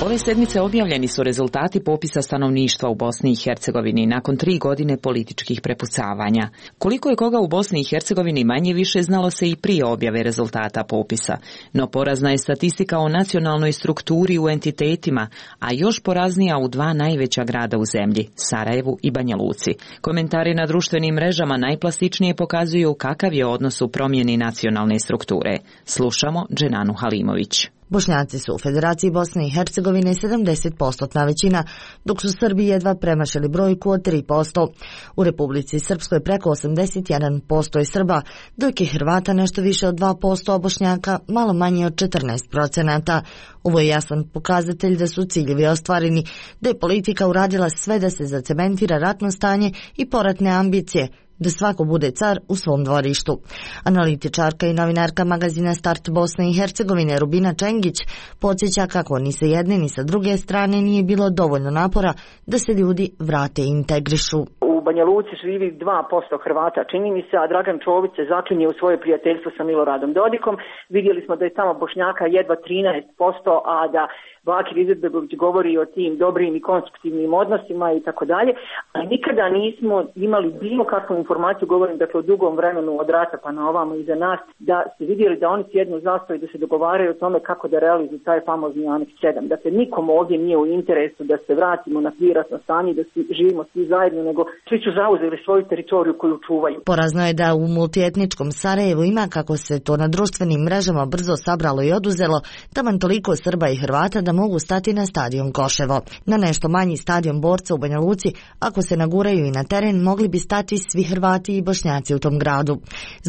Ove sedmice objavljeni su rezultati popisa stanovništva u Bosni i Hercegovini nakon tri godine političkih prepucavanja. Koliko je koga u Bosni i Hercegovini manje više znalo se i prije objave rezultata popisa, no porazna je statistika o nacionalnoj strukturi u entitetima, a još poraznija u dva najveća grada u zemlji, Sarajevu i Banja Luci. Komentari na društvenim mrežama najplastičnije pokazuju kakav je odnos u promjeni nacionalne strukture. Slušamo Dženanu Halimović. Bošnjaci su u Federaciji Bosne i Hercegovine sedamdeset posto većina, dok su Srbi jedva premašili brojku od tri posto. U Republici Srpskoj preko osamdeset jedan posto je Srba, dok je Hrvata nešto više od dva posto, a Bošnjaka malo manje od četrnaest procenata. Ovo je jasan pokazatelj da su ciljevi ostvareni, da je politika uradila sve da se zacementira ratno stanje i poratne ambicije, da svako bude car u svom dvorištu. Analitičarka i novinarka magazina Start Bosne i Hercegovine Rubina Čengić podsjeća kako ni sa jedne ni sa druge strane nije bilo dovoljno napora da se ljudi vrate i integrišu. U Banja Luci živi dva posto Hrvata, čini mi se, a Dragan Čović se zaklinje u svoje prijateljstvo sa Miloradom Dodikom. Vidjeli smo da je tamo Bošnjaka jedva trinaest posto, a da Bakir Izetbegović govori o tim dobrim i konstruktivnim odnosima i tako dalje, a nikada nismo imali bilo kakvu informaciju, govorim dakle o dugom vremenu od rata pa na ovamo iza nas, da ste vidjeli da oni sjednu zastavu i da se dogovaraju o tome kako da realizuju taj famozni aneks sedam. Dakle, nikom ovdje nije u interesu da se vratimo na priratno stanje, da svi, živimo svi zajedno, nego svi su zauzeli svoju teritoriju koju čuvaju. Porazno je da u multietničkom Sarajevu ima, kako se to na društvenim mrežama brzo sabralo i oduzelo, taman toliko Srba i Hrvata da mogu stati na stadion Koševo. Na nešto manji stadion Borca u Banja Luci, ako se naguraju i na teren, mogli bi stati svi Hrvati i Bošnjaci u tom gradu.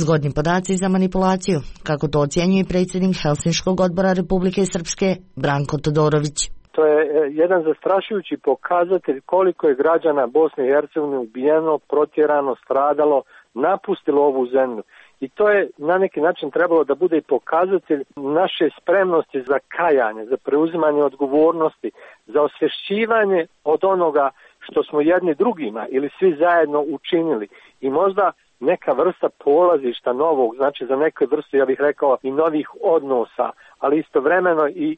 Zgodni podaci za manipulaciju, kako to ocjenjuje predsjednik Helsinškog odbora Republike Srpske Branko Todorović. To je jedan zastrašujući pokazatelj koliko je građana Bosne i Hercegovine ubijeno, protjerano, stradalo, napustilo ovu zemlju. I to je na neki način trebalo da bude i pokazatelj naše spremnosti za kajanje, za preuzimanje odgovornosti, za osvješćivanje od onoga što smo jedni drugima ili svi zajedno učinili. I možda neka vrsta polazišta novog, znači za neke vrste, ja bih rekao, i novih odnosa, ali istovremeno i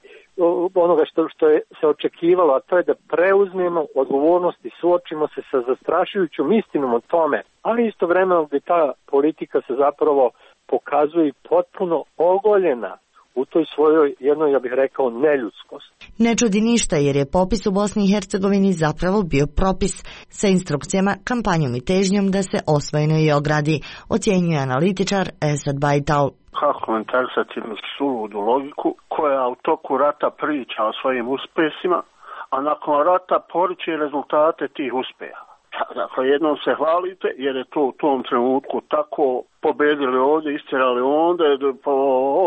onoga što, što je se očekivalo, a to je da preuzmemo odgovornost i suočimo se sa zastrašujućom istinom o tome, ali istovremeno gdje ta politika se zapravo pokazuje potpuno ogoljena u toj svojoj jednoj, ja bih rekao, neljudskosti. Ne čudi ništa jer je popis u Bosni i Hercegovini zapravo bio propis sa instrukcijama, kampanjom i težnjom da se osvojeno i ogradi, ocjenjuje analitičar Esad Bajtal. Kako komentarisati suludu logiku koja u toku rata priča o svojim uspjesima, a nakon rata poriče rezultate tih uspjeha. Dakle, jednom se hvalite jer je to u tom trenutku tako, pobedili ovdje, istjerali onda,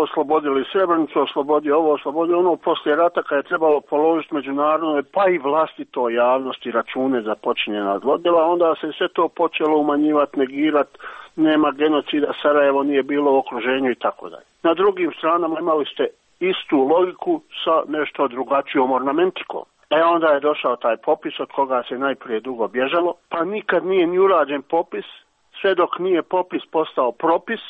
oslobodili Srebrenicu, oslobodi ovo, oslobodi ono, poslije rata kad je trebalo položiti međunarodne, pa i vlastito javnosti račune za počinjena zlodjela, onda se sve to počelo umanjivati, negirati, nema genocida, Sarajevo nije bilo u okruženju i tako dalje. Na drugim stranama imali ste istu logiku sa nešto drugačijom ornamentikom. E onda je došao taj popis od koga se najprije dugo bježalo, pa nikad nije ni urađen popis, sve dok nije popis postao propis,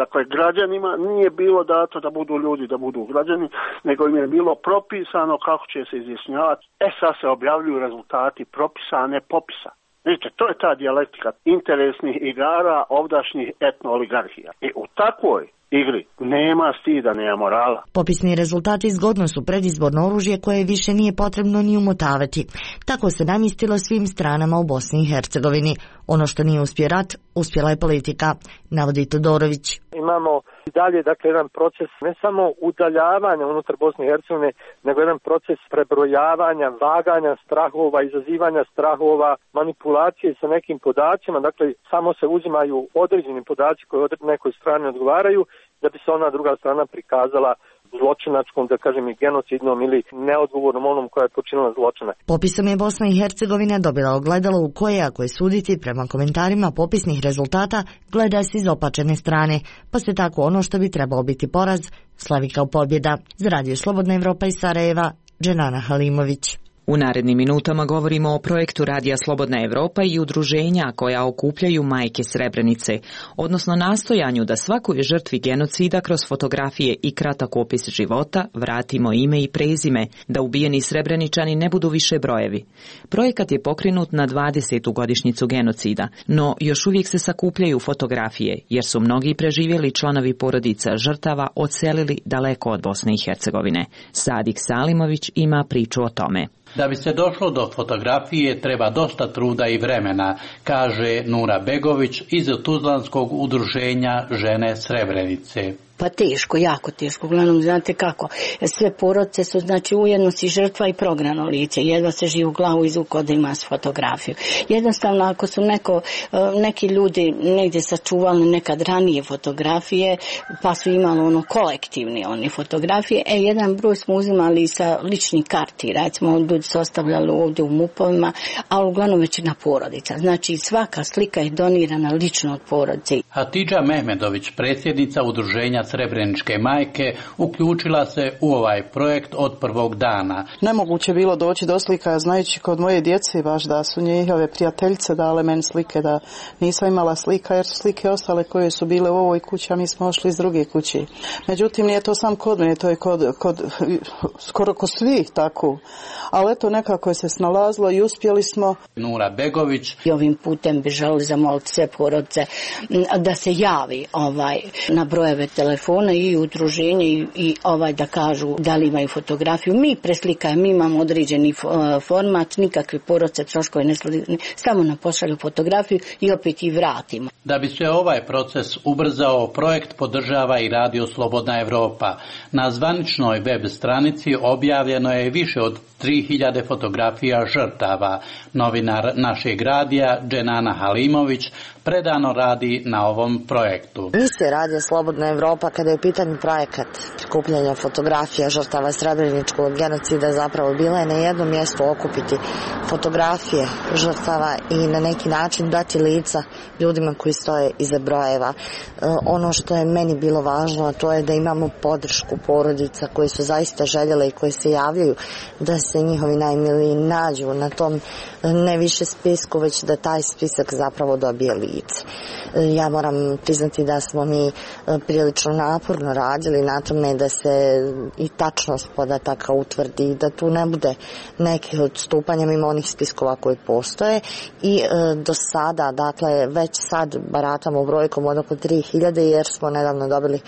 dakle građanima nije bilo dato da budu ljudi, da budu građani, nego im je bilo propisano kako će se izjašnjavati. E sad se objavljuju rezultati propisa, a ne popisa. Vidite, to je ta dijalektika interesnih igara ovdašnjih etno-oligarhija. I u takvoj igri nema stida, nema morala. Popisni rezultati zgodno su predizborno oružje koje više nije potrebno ni umotavati. Tako se namistilo svim stranama u Bosni i Hercegovini. Ono što nije uspio rat, uspjela je politika, navodi Todorović. Imamo i dalje, dakle, jedan proces ne samo udaljavanja unutar Bosne i Hercegovine, nego jedan proces prebrojavanja, vaganja strahova, izazivanja strahova, manipulacije sa nekim podacima. Dakle, samo se uzimaju određeni podaci koji nekoj strani odgovaraju, da bi se ona druga strana prikazala zločinačkom, da kažem, i genocidnom ili neodgovornom onom koja je počinila zločina. Popisom je Bosna i Hercegovina dobila ogledalo u koje, ako je suditi prema komentarima popisnih rezultata, gleda se iz opačene strane, pa se tako ono što bi trebalo biti poraz slavi kao pobjeda. Za Radio Slobodna Evropa iz Sarajeva, Dženana Halimović. U narednim minutama govorimo o projektu Radija Slobodna Evropa i udruženja koja okupljaju majke Srebrenice, odnosno nastojanju da svakoj žrtvi genocida kroz fotografije i kratak opis života vratimo ime i prezime, da ubijeni Srebreničani ne budu više brojevi. Projekat je pokrenut na dvadesetu godišnjicu genocida, no još uvijek se sakupljaju fotografije, jer su mnogi preživjeli članovi porodica žrtava odselili daleko od Bosne i Hercegovine. Sadik Salimović ima priču o tome. Da bi se došlo do fotografije treba dosta truda i vremena, kaže Nura Begović iz Tuzlanskog udruženja Žene Srebrenice. Pa teško, jako teško. Uglavnom, znate kako, sve porodice su, znači, ujedno si žrtva i prognano lice. Jedva se živi u glavu izvuko da ima fotografiju. Jednostavno, ako su neko, neki ljudi negdje sačuvali nekad ranije fotografije, pa su imali ono kolektivni oni fotografije, e, jedan broj smo uzimali sa ličnih karti, recimo, ljudi su ostavljali ovdje u mupovima, ali uglavnom većina porodica. Znači, svaka slika je donirana lično od porodice. Hatidža Mehmedović, predsjednica udruženja Srebreničke majke, uključila se u ovaj projekt od prvog dana. Nemoguće bilo doći do slika, znajući kod moje djece baš da su njihove prijateljice dale meni slike, da nisam imala slika jer su slike ostale koje su bile u ovoj kući, a mi smo ošli iz druge kuće. Međutim, nije to sam kod mene, to je kod, kod skoro kod svih tako. Ali eto, nekako je se snalazilo i uspjeli smo. Nura Begović. I ovim putem bi želeli zamoliti sve porodice da se javi ovaj, na brojeve telefona i udruženje i, i ovaj da kažu da li imaju fotografiju. Mi preslikajemo, mi imamo određeni format, nikakve porodice troškove ne sledi, samo nam pošalju fotografiju i opet i vratimo. Da bi se ovaj proces ubrzao, projekt podržava i Radio Slobodna Evropa. Na zvaničnoj web stranici objavljeno je više od tri hiljade fotografija žrtava. Novinar našeg radija, Dženana Halimović, predano radi na ovom projektu. Misija Radio Slobodna Evropa Evropa, kada je u pitanju projekat prikupljanja fotografija žrtava srebreničkog genocida, zapravo bila je na jednom mjestu okupiti fotografije žrtava i na neki način dati lica ljudima koji stoje iza brojeva. Ono što je meni bilo važno, a to je da imamo podršku porodica koji su zaista željele i koji se javljaju da se njihovi najmiliji nađu na tom ne više spisku, već da taj spisak zapravo dobije lice. Ja moram priznati da smo mi prilično naporno radili na tome da se i tačnost podataka utvrdi i da tu ne bude nekih odstupanja mimo onih spiskova koji postoje i e, do sada, dakle već sad baratamo brojkom od oko tri hiljade jer smo nedavno dobili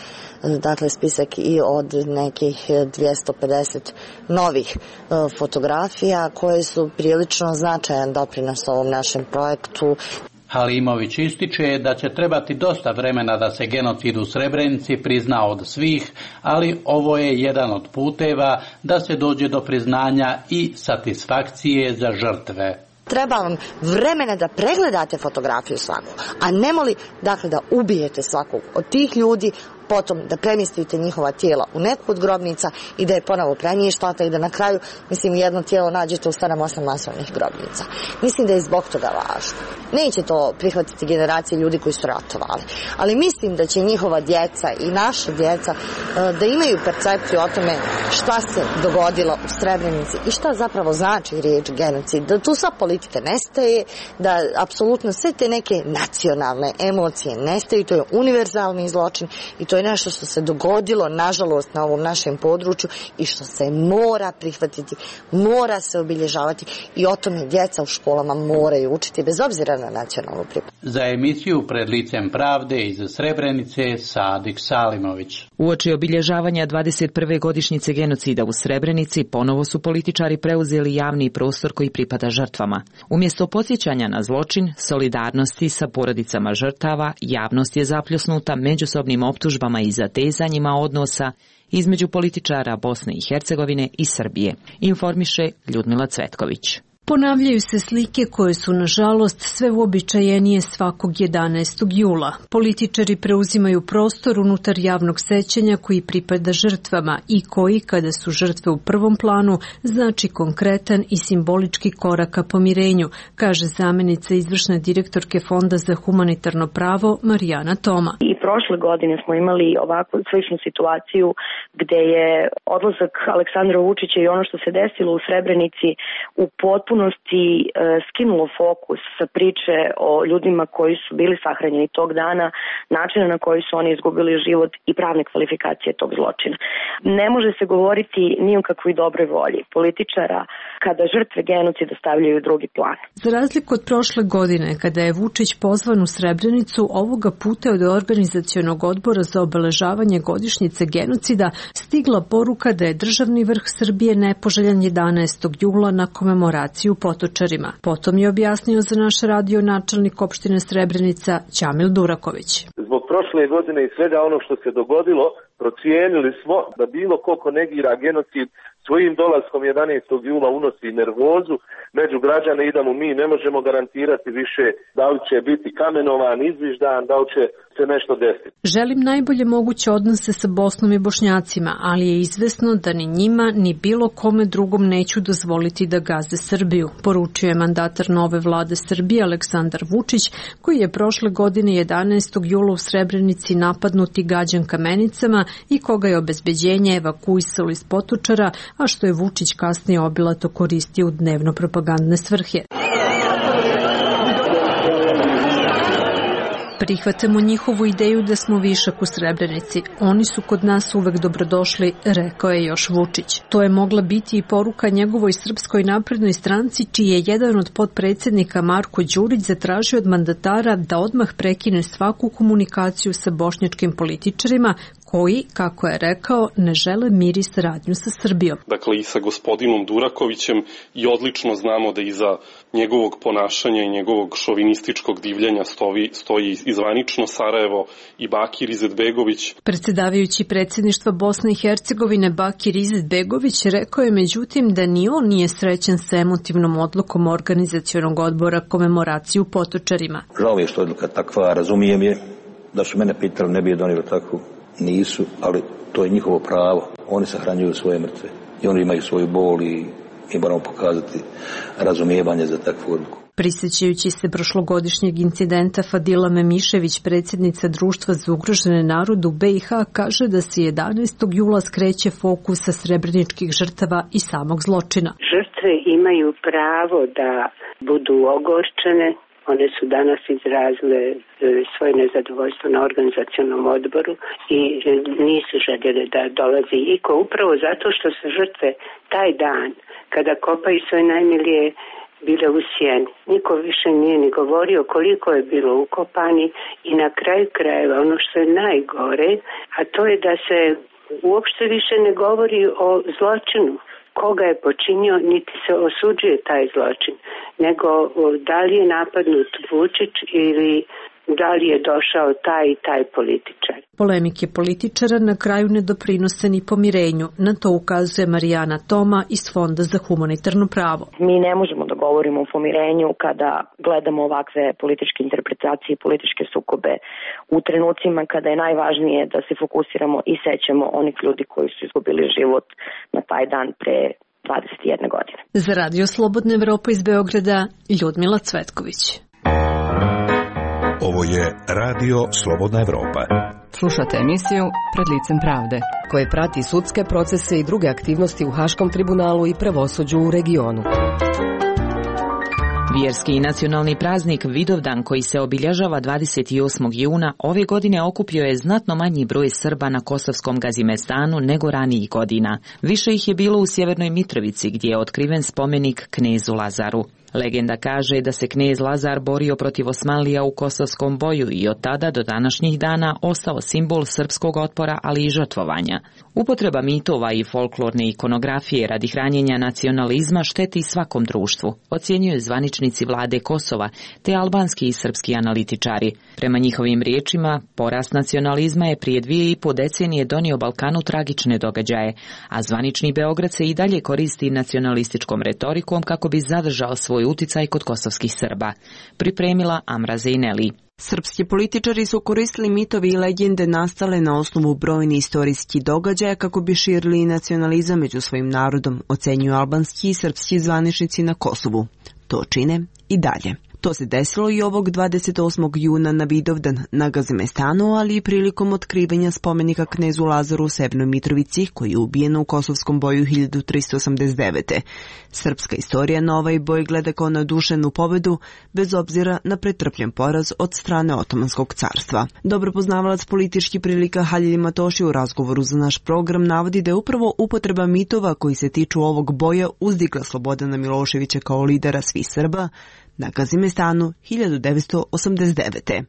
dakle spisak i od nekih dvjesto pedeset novih e, fotografija koje su prilično značajan doprinos ovom našem projektu. Halimović ističe da će trebati dosta vremena da se genocid u Srebrenici prizna od svih, ali ovo je jedan od puteva da se dođe do priznanja i satisfakcije za žrtve. Treba vam vremena da pregledate fotografiju svaku, a ne moli dakle da ubijete svakog od tih ljudi, potom da premjestite njihova tijela u neku od grobnica i da je ponovo premještate i da na kraju, mislim, jedno tijelo nađete u sedam osam masovnih grobnica. Mislim da je zbog toga važno. Neće to prihvatiti generacije ljudi koji su ratovali, ali mislim da će njihova djeca i naša djeca da imaju percepciju o tome šta se dogodilo u Srebrenici i šta zapravo znači riječ genocid. Da tu sva politika nestaje, da apsolutno sve te neke nacionalne emocije nestaju, to je univerzalni zločin i to To je nešto što se dogodilo, nažalost, na ovom našem području i što se mora prihvatiti, mora se obilježavati i o tome djeca u školama moraju učiti, bez obzira na nacionalnu pripadnost. Za emisiju Pred licem pravde iz Srebrenice, Sadik Salimović. Uoči obilježavanja dvadeset prve godišnjice genocida u Srebrenici, ponovo su političari preuzeli javni prostor koji pripada žrtvama. Umjesto podsjećanja na zločin, solidarnosti sa porodicama žrtava, javnost je zapljusnuta međusobnim optužbama i zatezanjima odnosa između političara Bosne i Hercegovine i Srbije, informiše Ljudmila Cvetković. Ponavljaju se slike koje su, nažalost, sve uobičajenije svakog jedanaestog jula. Političari preuzimaju prostor unutar javnog sećanja koji pripada žrtvama i koji, kada su žrtve u prvom planu, znači konkretan i simbolički korak ka pomirenju, kaže zamjenica izvršne direktorke Fonda za humanitarno pravo Marijana Toma. I prošle godine smo imali ovakvu sličnu situaciju gde je odlazak Aleksandra Vučića i ono što se desilo u Srebrenici u potpunosti skinulo fokus sa priče o ljudima koji su bili sahranjeni tog dana, načina na koji su oni izgubili život i pravne kvalifikacije tog zločina. Ne može se govoriti ni o kakvoj dobroj volji političara kada žrtve genocida stavljaju u drugi plan. Za razliku od prošle godine, kada je Vučić pozvan u Srebrenicu, ovoga puta od organizacionog odbora za obeležavanje godišnjice genocida stigla poruka da je državni vrh Srbije nepoželjan jedanaestog jula na komemoraciju u Potočarima. Potom je objasnio za naš radio načelnik opštine Srebrenica Ćamil Duraković. Zbog prošle godine i svega ono što se dogodilo, procijenili smo da bilo ko ko negira genocid svojim dolaskom jedanaestog jula unosi nervozu među građane i da mu mi ne možemo garantirati više da li će biti kamenovan, izviždan, da li će se nešto desiti. Želim najbolje moguće odnose sa Bosnom i Bošnjacima, ali je izvesno da ni njima ni bilo kome drugom neću dozvoliti da gaze Srbiju, poručio je mandatar nove vlade Srbije Aleksandar Vučić, koji je prošle godine jedanaestog jula u Srebrenici napadnut i gađan kamenicama i koga je obezbeđenje evakuisalo iz Potočara, a što je Vučić kasnije obilato koristio u dnevno propagandne svrhe. Prihvatamo njihovu ideju da smo višak u Srebrenici. Oni su kod nas uvek dobrodošli, rekao je još Vučić. To je mogla biti i poruka njegovoj Srpskoj naprednoj stranci, čiji je jedan od potpredsjednika Marko Đurić zatražio od mandatara da odmah prekine svaku komunikaciju sa bošnjačkim političarima koji, kako je rekao, ne žele mir i saradnju sa Srbijom. Dakle, i sa gospodinom Durakovićem i odlično znamo da iza njegovog ponašanja i njegovog šovinističkog divljenja stoji, stoji i zvanično Sarajevo i Bakir Izetbegović. Predsjedavajući predsjedništva Bosne i Hercegovine Bakir Izetbegović rekao je međutim da ni on nije srećan sa emotivnom odlukom organizacionog odbora komemoraciju u Potočarima. Žao je što je odluka takva, razumijem je, da su mene pitali ne bi je donijeli takvu. nisu, ali to je njihovo pravo. Oni sahranjuju svoje mrtve i oni imaju svoju bol i mi moramo pokazati razumijevanje za takvu odluku. Prisjećajući se prošlogodišnjeg incidenta, Fadila Memišević, predsjednica Društva za ugrožene narode u B i H, kaže da se jedanaestog jula skreće fokus sa srebreničkih žrtava i samog zločina. Žrtve imaju pravo da budu ogorčene. One su danas izrazile svoje nezadovoljstvo na organizacionom odboru i nisu željeli da dolazi iko, upravo zato što su žrtve taj dan, kada kopaju svoje najmilije, bile u sjeni. Niko više nije ni govorio koliko je bilo ukopani i na kraju krajeva ono što je najgore, a to je da se uopšte više ne govori o zločinu. Koga je počinio, niti se osuđuje taj zločin, nego da li je napadnut Vučić ili da li je došao taj i taj političar. Polemike političara na kraju ne doprinose ni pomirenju. Na to ukazuje Marijana Toma iz Fonda za humanitarno pravo. Mi ne možemo da govorimo o pomirenju kada gledamo ovakve političke interpretacije i političke sukobe u trenucima kada je najvažnije da se fokusiramo i sećamo onih ljudi koji su izgubili život na taj dan pre dvadeset jedne godine. Za Radio Slobodna Evropa iz Beograda, Ljudmila Cvetković. Ovo je Radio Slobodna Evropa. Slušate emisiju Pred licem pravde, koje prati sudske procese i druge aktivnosti u Haškom tribunalu i pravosuđu u regionu. Vjerski i nacionalni praznik Vidovdan, koji se obilježava dvadeset osmog juna, ove godine okupio je znatno manji broj Srba na kosovskom Gazimestanu nego ranijih godina. Više ih je bilo u Sjevernoj Mitrovici, gdje je otkriven spomenik knezu Lazaru. Legenda kaže da se knez Lazar borio protiv Osmanlija u kosovskom boju i od tada do današnjih dana ostao simbol srpskog otpora, ali i žrtvovanja. Upotreba mitova i folklorne ikonografije radi hranjenja nacionalizma šteti svakom društvu, ocjenjuju zvaničnici vlade Kosova te albanski i srpski analitičari. Prema njihovim riječima, porast nacionalizma je prije dvije i po decenije donio Balkanu tragične događaje, a zvanični Beograd se i dalje koristi nacionalističkom retorikom kako bi zadržao svoj uticaj kod kosovskih Srba. Pripremila Amra Zejneli. Srpski političari su koristili mitovi i legende nastale na osnovu brojnih istorijskih događaja kako bi širili nacionalizam među svojim narodom, ocenjuju albanski i srpski zvaničnici na Kosovu. To čine i dalje. To se desilo i ovog dvadeset osmog juna na Vidovdan na Gazimestanu, ali i prilikom otkrivanja spomenika knezu Lazaru u Severnoj Mitrovici, koji je ubijen u kosovskom boju hiljadu tristo osamdeset devete. Srpska istorija na ovaj boj gleda kao na dušenu pobedu, bez obzira na pretrpljen poraz od strane Otomanskog carstva. Dobro poznavalac političkih prilika Halil Matoši u razgovoru za naš program navodi da je upravo upotreba mitova koji se tiču ovog boja uzdigla Slobodana Miloševića kao lidera svih Srba na Gazimestanu hiljadu devetsto osamdeset devete.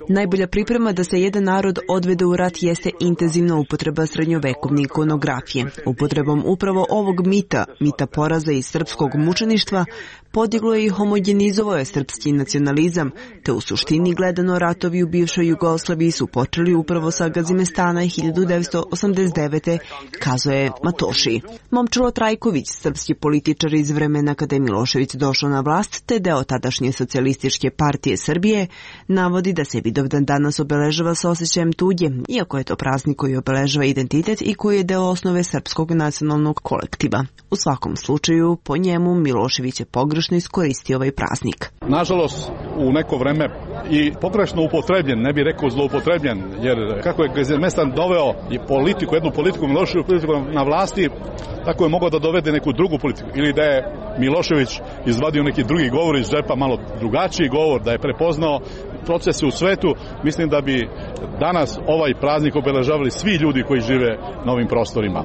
Najbolja priprema da se jedan narod odvede u rat jeste intenzivna upotreba srednjovekovne ikonografije. Upotrebom upravo ovog mita, mita poraza i srpskog mučeništva, podiglo je i homogenizovao je srpski nacionalizam, te u suštini gledano ratovi u bivšoj Jugoslaviji su počeli upravo sa Gazimestana hiljadu devetsto osamdeset devete, kazuje Matoši. Momčilo Trajković, srpski političar iz vremena kada je Milošević došao na vlast, te deo tadašnje socijalističke partije Srbije, navodi da se Vidovdan danas obeležava s osjećajem tuđe, iako je to praznik koji obeležava identitet i koji je deo osnove srpskog nacionalnog kolektiva. U svakom slučaju, po njemu Milošević je pogrešno iskoristio ovaj praznik. Nažalost, u neko vreme i pogrešno upotrebljen, ne bih rekao zloupotrebljen, jer kako je Gazimestan doveo i politiku, jednu politiku, Miloševiću politiku na vlasti, tako je mogao da dovede neku drugu politiku. Ili da je Milošević izvadio neki drugi govor iz džepa, malo drugačiji govor, da je prepoznao procese u svetu. Mislim da bi danas ovaj praznik obeležavali svi ljudi koji žive na ovim prostorima.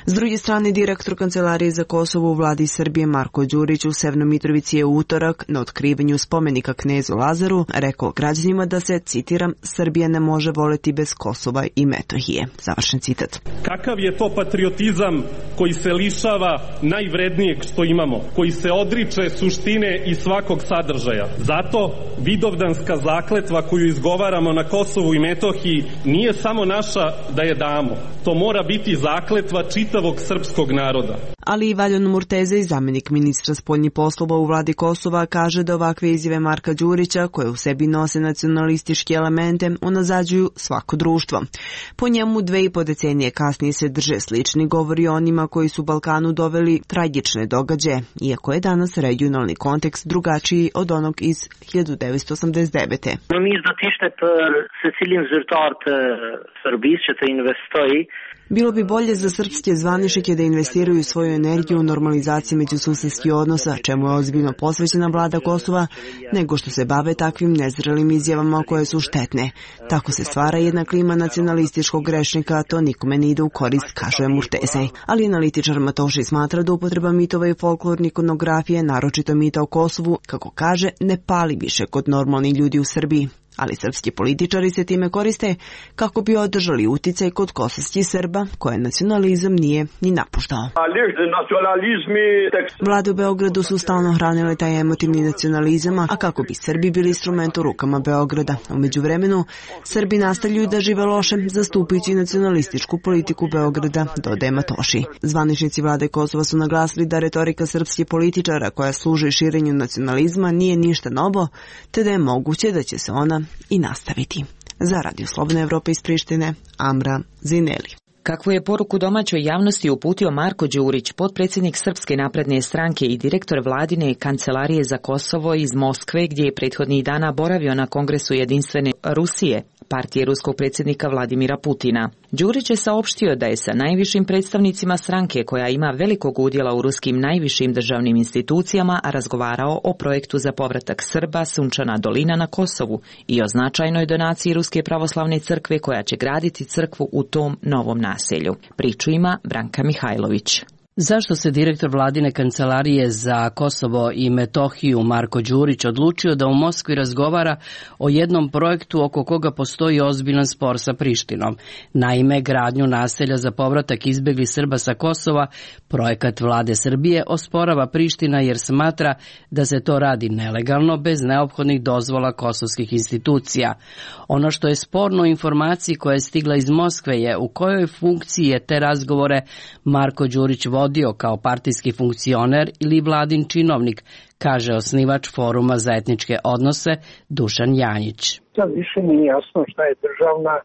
S druge strane, direktor Kancelarije za Kosovo u vladi Srbije Marko Đurić u Severnoj Mitrovici je utorak na otkrivanju spomenika knezu Lazaru rekao građanima da se, citiram, Srbija ne može voleti bez Kosova i Metohije. Završen citat. Kakav je to patriotizam koji se lišava najvrednijeg što imamo, koji se odriče suštine i svakog sadržaja. Zato vidovdanska zakletva koju izgovaramo na Kosovu i Metohiji nije samo naša da je damo. To mora biti zakletva čitavog čitavog srpskog naroda. Ali i Valjan Murteza, i zamjenik ministra spoljnih poslova u vladi Kosova, kaže da ovakve izjave Marka Đurića, koje u sebi nose nacionalističke elemente, unazađuju svako društvo. Po njemu dve i po decenije kasnije se drže slični govori o onima koji su Balkanu doveli tragične događaje, iako je danas regionalni kontekst drugačiji od onog iz hiljadu devetsto osamdeset devete. Më mirë do të ishte për secilin zyrtar të Serbisë që të investoj. Bilo bi bolje za srpske zvaničnike da investiraju svoju energiju u normalizaciji međususedskih odnosa, čemu je ozbiljno posvećena vlada Kosova, nego što se bave takvim nezrelim izjavama koje su štetne. Tako se stvara jedna klima nacionalističkog grešnika, a to nikome ne ide u korist, kaže Murteza. Ali analitičar Matoši smatra da upotreba mitova i folklorne ikonografije, naročito mita o Kosovu, kako kaže, ne pali više kod normalnih ljudi u Srbiji. Ali srpski političari se time koriste kako bi održali uticaj kod kosovskih Srba, koje nacionalizam nije ni napuštao. Vlade u Beogradu su stalno hranile taj emotivni nacionalizam, a kako bi Srbi bili instrument u rukama Beograda. U međuvremenu, Srbi nastavljaju da žive loše, zastupajući nacionalističku politiku Beograda, dodaje Matoši. Zvaničnici vlade Kosova su naglasili da retorika srpskih političara koja služi širenju nacionalizma nije ništa novo, te da je moguće da će se ona i nastaviti. Za Radio Slobodne Evrope iz Prištine, Amra Zineli. Kakvu je poruku domaćoj javnosti uputio Marko Đurić, potpredsjednik Srpske napredne stranke i direktor vladine kancelarije za Kosovo iz Moskve, gdje je prethodnih dana boravio na Kongresu jedinstvene Rusije, partije ruskog predsjednika Vladimira Putina. Đurić je saopštio da je sa najvišim predstavnicima stranke, koja ima velikog udjela u ruskim najvišim državnim institucijama, razgovarao o projektu za povratak Srba Sunčana dolina na Kosovu i o značajnoj donaciji Ruske pravoslavne crkve koja će graditi crkvu u tom novom naselju. Priču ima Branka Mihajlović. Zašto se direktor vladine kancelarije za Kosovo i Metohiju Marko Đurić odlučio da u Moskvi razgovara o jednom projektu oko koga postoji ozbiljan spor sa Prištinom? Naime, gradnju naselja za povratak izbjeglih Srba sa Kosova, projekat vlade Srbije, osporava Priština jer smatra da se to radi nelegalno, bez neophodnih dozvola kosovskih institucija. Ono što je sporno u informaciji koja je stigla iz Moskve je u kojoj funkciji je te razgovore Marko Đurić vodio kao partijski funkcioner ili vladin činovnik, kaže osnivač Foruma za etničke odnose Dušan Janjić. Sad više nije jasno šta je državna,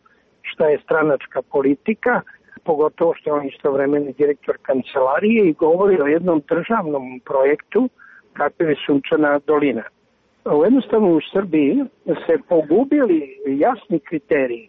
šta je stranačka politika, pogotovo što je on istovremeni direktor kancelarije i govori o jednom državnom projektu kakav je Sunčana dolina. Jednostavno u Srbiji se pogubili jasni kriteriji.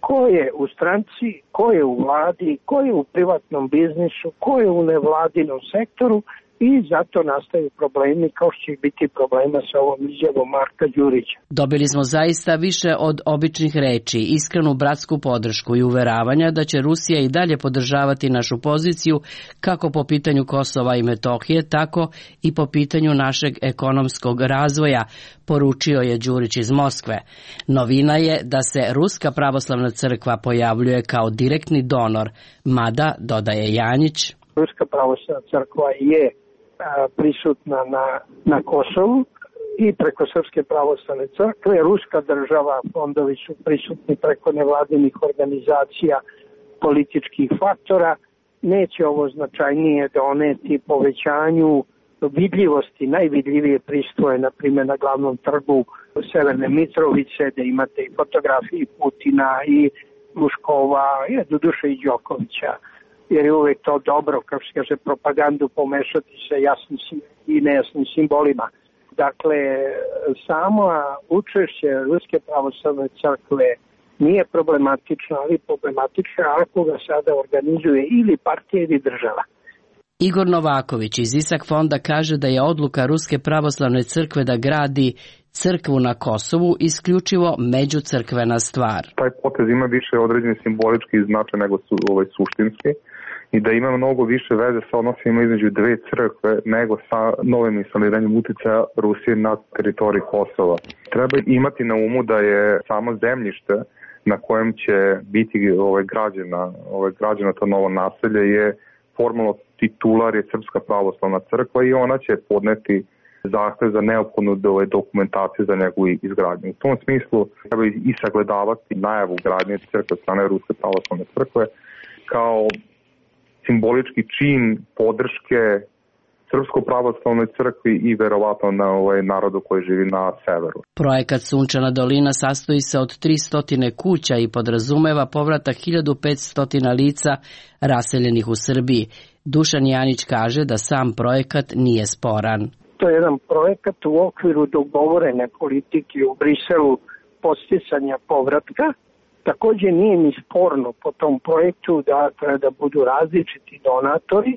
Ko je u stranci, ko je u vladi, ko je u privatnom biznisu, ko je u nevladinom sektoru i zato nastaju problemi kao što će biti problema sa ovom izjavom Marka Đurića. Dobili smo zaista više od običnih reči, iskrenu bratsku podršku i uveravanja da će Rusija i dalje podržavati našu poziciju kako po pitanju Kosova i Metohije, tako i po pitanju našeg ekonomskog razvoja, poručio je Đurić iz Moskve. Novina je da se Ruska pravoslavna crkva pojavljuje kao direktni donor, mada, dodaje Janjić, Ruska pravoslavna crkva je prisutna na, na Kosovu i preko Srpske pravoslavne crkve. Ruska država, fondovi su prisutni preko nevladinih organizacija, političkih faktora. Neće ovo značajnije doneti povećanju vidljivosti. Najvidljivije pristoje, na primjer, na glavnom trgu Severne Mitrovice, da imate i fotografije Putina i Luškova, i doduše i Đokovića. Jer je uvek to dobro, kao se kaže, propagandu pomešati sa jasnim i nejasnim simbolima. Dakle, samo učešće Ruske pravoslavne crkve nije problematično, ali problematično ako ga sada organizuje ili partija ili država. Igor Novaković iz Isak fonda kaže da je odluka Ruske pravoslavne crkve da gradi crkvu na Kosovu isključivo međucrkvena stvar. Taj potez ima više određeni simbolički značaj nego su ovaj suštinski i da ima mnogo više veze sa odnosima između dve crkve nego sa novim instaliranjem uticaja Rusije na teritoriji Kosova. Treba imati na umu da je samo zemljište na kojem će biti ovaj građana, ovaj građana to novo naselje je formalno titular je Srpska pravoslavna crkva i ona će podneti zahtev za neophodnu dokumentaciju za njegovu izgradnju. U tom smislu treba i sagledavati najavu gradnje crkve strane Ruske pravoslavne crkve kao simbolički čin podrške Srpskoj pravoslavnoj crkvi i verovatno na ovaj narodu koji živi na severu. Projekat Sunčana dolina sastoji se od tristo kuća i podrazumeva povratak hiljadu petsto lica raseljenih u Srbiji. Dušan Janić kaže da sam projekat nije sporan. To je jedan projekat u okviru dogovorene politike u Briselu podsticanja povratka. Također nije ni sporno po tom projektu da treba da budu različiti donatori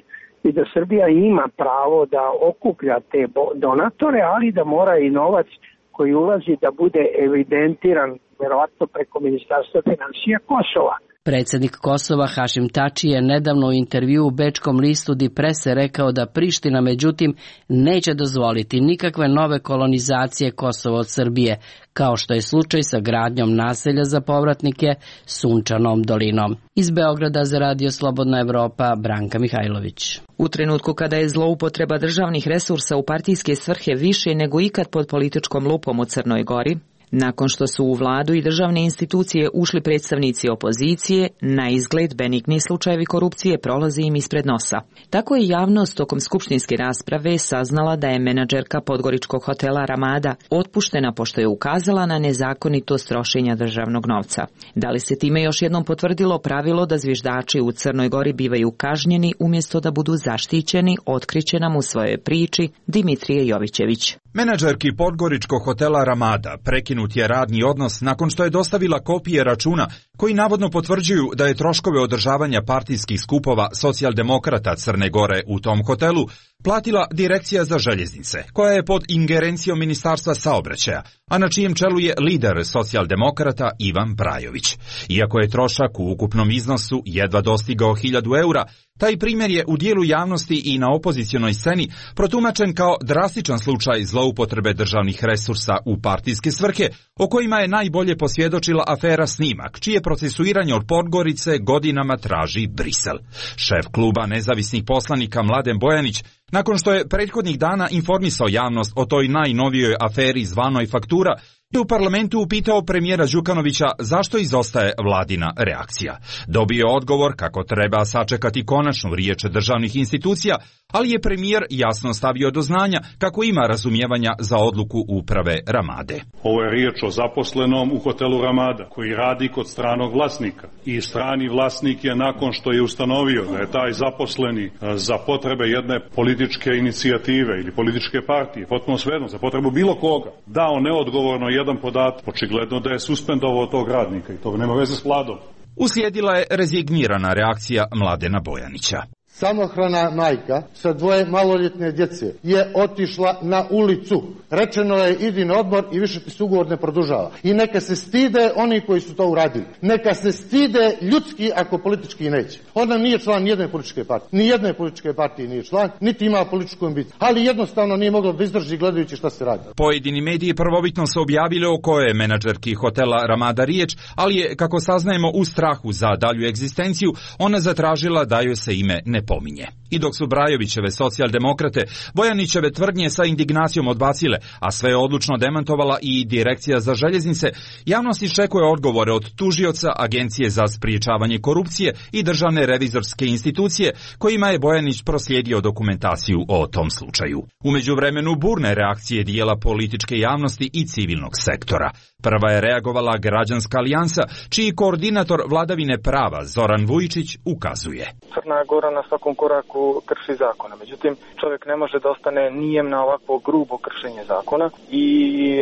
i da Srbija ima pravo da okuplja te donatore, ali da mora i novac koji ulazi da bude evidentiran, verovatno preko Ministarstva financija Kosova. Predsjednik Kosova Hašim Tači je nedavno u intervju u bečkom listu Die Presse rekao da Priština međutim neće dozvoliti nikakve nove kolonizacije Kosova od Srbije, kao što je slučaj sa gradnjom naselja za povratnike Sunčanom dolinom. Iz Beograda za Radio Slobodna Evropa, Branka Mihajlović. U trenutku kada je zloupotreba državnih resursa u partijske svrhe više nego ikad pod političkom lupom u Crnoj Gori, nakon što su u vladu i državne institucije ušli predstavnici opozicije, na izgled benigni slučajevi korupcije prolaze im ispred nosa. Tako je javnost tokom skupštinske rasprave saznala da je menadžerka podgoričkog hotela Ramada otpuštena pošto je ukazala na nezakonitost trošenja državnog novca. Da li se time još jednom potvrdilo pravilo da zviždači u Crnoj Gori bivaju kažnjeni umjesto da budu zaštićeni, otkriće nam u svojoj priči Dimitrije Jovićević. Menadžerki podgoričkog hotela Ramada prekinut je radni odnos nakon što je dostavila kopije računa koji navodno potvrđuju da je troškove održavanja partijskih skupova socijaldemokrata Crne Gore u tom hotelu platila Direkcija za željeznice, koja je pod ingerencijom Ministarstva saobraćaja, a na čijem čelu je lider socijaldemokrata Ivan Brajović. Iako je trošak u ukupnom iznosu jedva dostigao hiljadu eura, taj primjer je u dijelu javnosti i na opozicionoj sceni protumačen kao drastičan slučaj zloupotrebe državnih resursa u partijske svrhe, o kojima je najbolje posvjedočila afera Snimak, čije procesuiranje od Podgorice godinama traži Brisel. Šef kluba nezavisnih poslanika Mladen Bojanić, nakon što je prethodnih dana informisao javnost o toj najnovijoj aferi zvanoj faktura, je u parlamentu upitao premijera Đukanovića zašto izostaje vladina reakcija. Dobio je odgovor kako treba sačekati konačnu riječ državnih institucija, ali je premijer jasno stavio do znanja kako ima razumijevanja za odluku uprave Ramade. Ovo je riječ o zaposlenom u hotelu Ramada koji radi kod stranog vlasnika i strani vlasnik je nakon što je ustanovio da je taj zaposleni za potrebe jedne političke inicijative ili političke partije, potpuno svejedno, za potrebu bilo koga, dao neodgovorno jedan podatak, očigledno da je suspendovao tog radnika i to nema veze s vladom. Uslijedila je rezignirana reakcija Mladena Bojanića. Samohrana majka sa dvoje maloljetne djece je otišla na ulicu. Rečeno je idi na odmor i više ti se ugovor ne produžava. I neka se stide oni koji su to uradili. Neka se stide ljudski ako politički neće. Ona nije član nijedne političke partije. Nijedne političke partije nije član, niti ima političku ambiciju. Ali jednostavno nije mogla da izdrži gledajući šta se radi. Pojedini mediji prvobitno su objavili o kojoj je menadžerki hotela Ramada riječ, ali je, kako saznajemo, u strahu za dalju egzistenciju, ona zatražila da joj se ime ne pominje. I dok su Brajovićeve socijaldemokrate Bojanićeve tvrdnje sa indignacijom odbacile, a sve je odlučno demantovala i Direkcija za željeznice, javnost iščekuje odgovore od tužioca, Agencije za spriječavanje korupcije i državne revizorske institucije, kojima je Bojanić proslijedio dokumentaciju o tom slučaju. U međuvremenu burne reakcije dijela političke javnosti i civilnog sektora. Prva je reagovala Građanska alijansa, čiji koordinator vladavine prava Zoran Vujičić ukazuje. Crna Gora na svakom koraku krši zakona. Međutim, čovjek ne može da ostane nijem na ovakvo grubo kršenje zakona i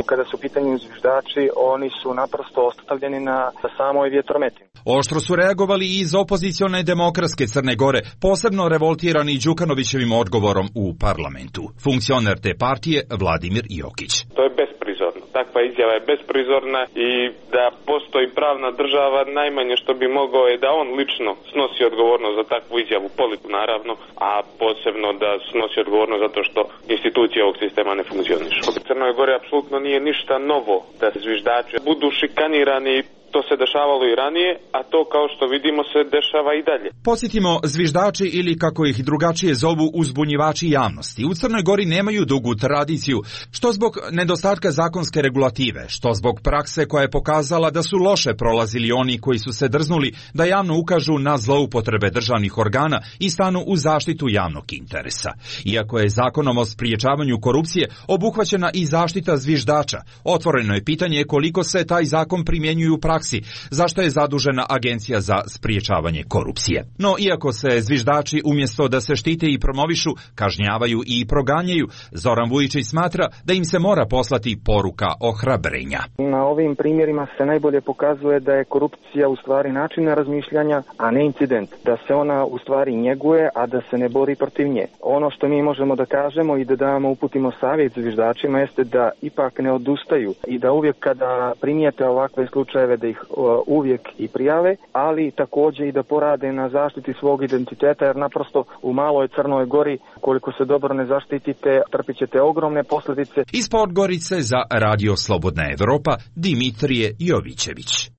kada su u pitanju zviždači, oni su naprosto ostavljeni na samoj vjetrometini. Oštro su reagovali i iz opozicione demokratske Crne Gore, posebno revoltirani Đukanovićevim odgovorom u parlamentu. Funkcioner te partije Vladimir Jokić. To je besprizorno. Takva izjava je besprizorna i da postoji pravna država, najmanje što bi mogao je da on lično snosi odgovornost za takvu izjavu, politiku naravno, a posebno da snosi odgovornost zato što institucije ovog sistema ne funkcionišu. U Crnoj Gori apsolutno nije ništa novo da zviždači budu šikanirani To se dešavalo i ranije, a to kao što vidimo se dešava i dalje. Posjetimo zviždači ili kako ih drugačije zovu uzbunjivači javnosti. U Crnoj Gori nemaju dugu tradiciju, što zbog nedostatka zakonske regulative, što zbog prakse koja je pokazala da su loše prolazili oni koji su se drznuli da javno ukažu na zloupotrebe državnih organa i stanu u zaštitu javnog interesa. Iako je zakonom o spriječavanju korupcije obuhvaćena i zaštita zviždača, otvoreno je pitanje koliko se taj zakon primjenjuje u praksi, zašto je zadužena Agencija za spriječavanje korupcije. No, iako se zviždači umjesto da se štite i promovišu, kažnjavaju i proganjaju, Zoran Vujičić smatra da im se mora poslati poruka ohrabrenja. Na ovim primjerima se najbolje pokazuje da je korupcija u stvari način razmišljanja, a ne incident. Da se ona u stvari njeguje, a da se ne bori protiv nje. Ono što mi možemo da kažemo i da damo uputimo savjet zviždačima jeste da ipak ne odustaju i da uvijek kada primijete ovakve slučajeve da ih uvijek i prijave, ali također i da porade na zaštiti svog identiteta, jer naprosto u maloj Crnoj Gori koliko se dobro ne zaštitite, trpit ćete ogromne posljedice. Iz Podgorice za Radio Slobodna Evropa, Dimitrije Jovićević.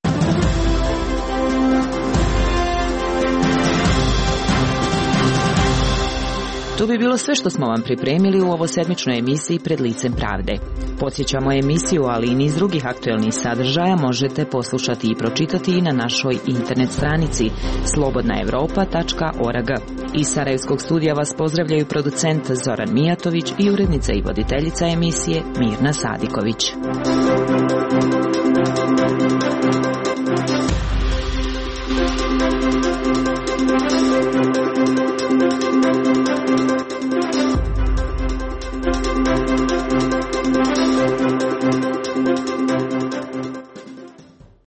To bi bilo sve što smo vam pripremili u ovosedmičnoj emisiji Pred licem pravde. Podsjećamo emisiju, ali i niz drugih aktuelnih sadržaja možete poslušati i pročitati i na našoj internet stranici slobodna evropa tačka org. Iz Sarajevskog studija vas pozdravljaju producent Zoran Mijatović i urednica i voditeljica emisije Mirna Sadiković.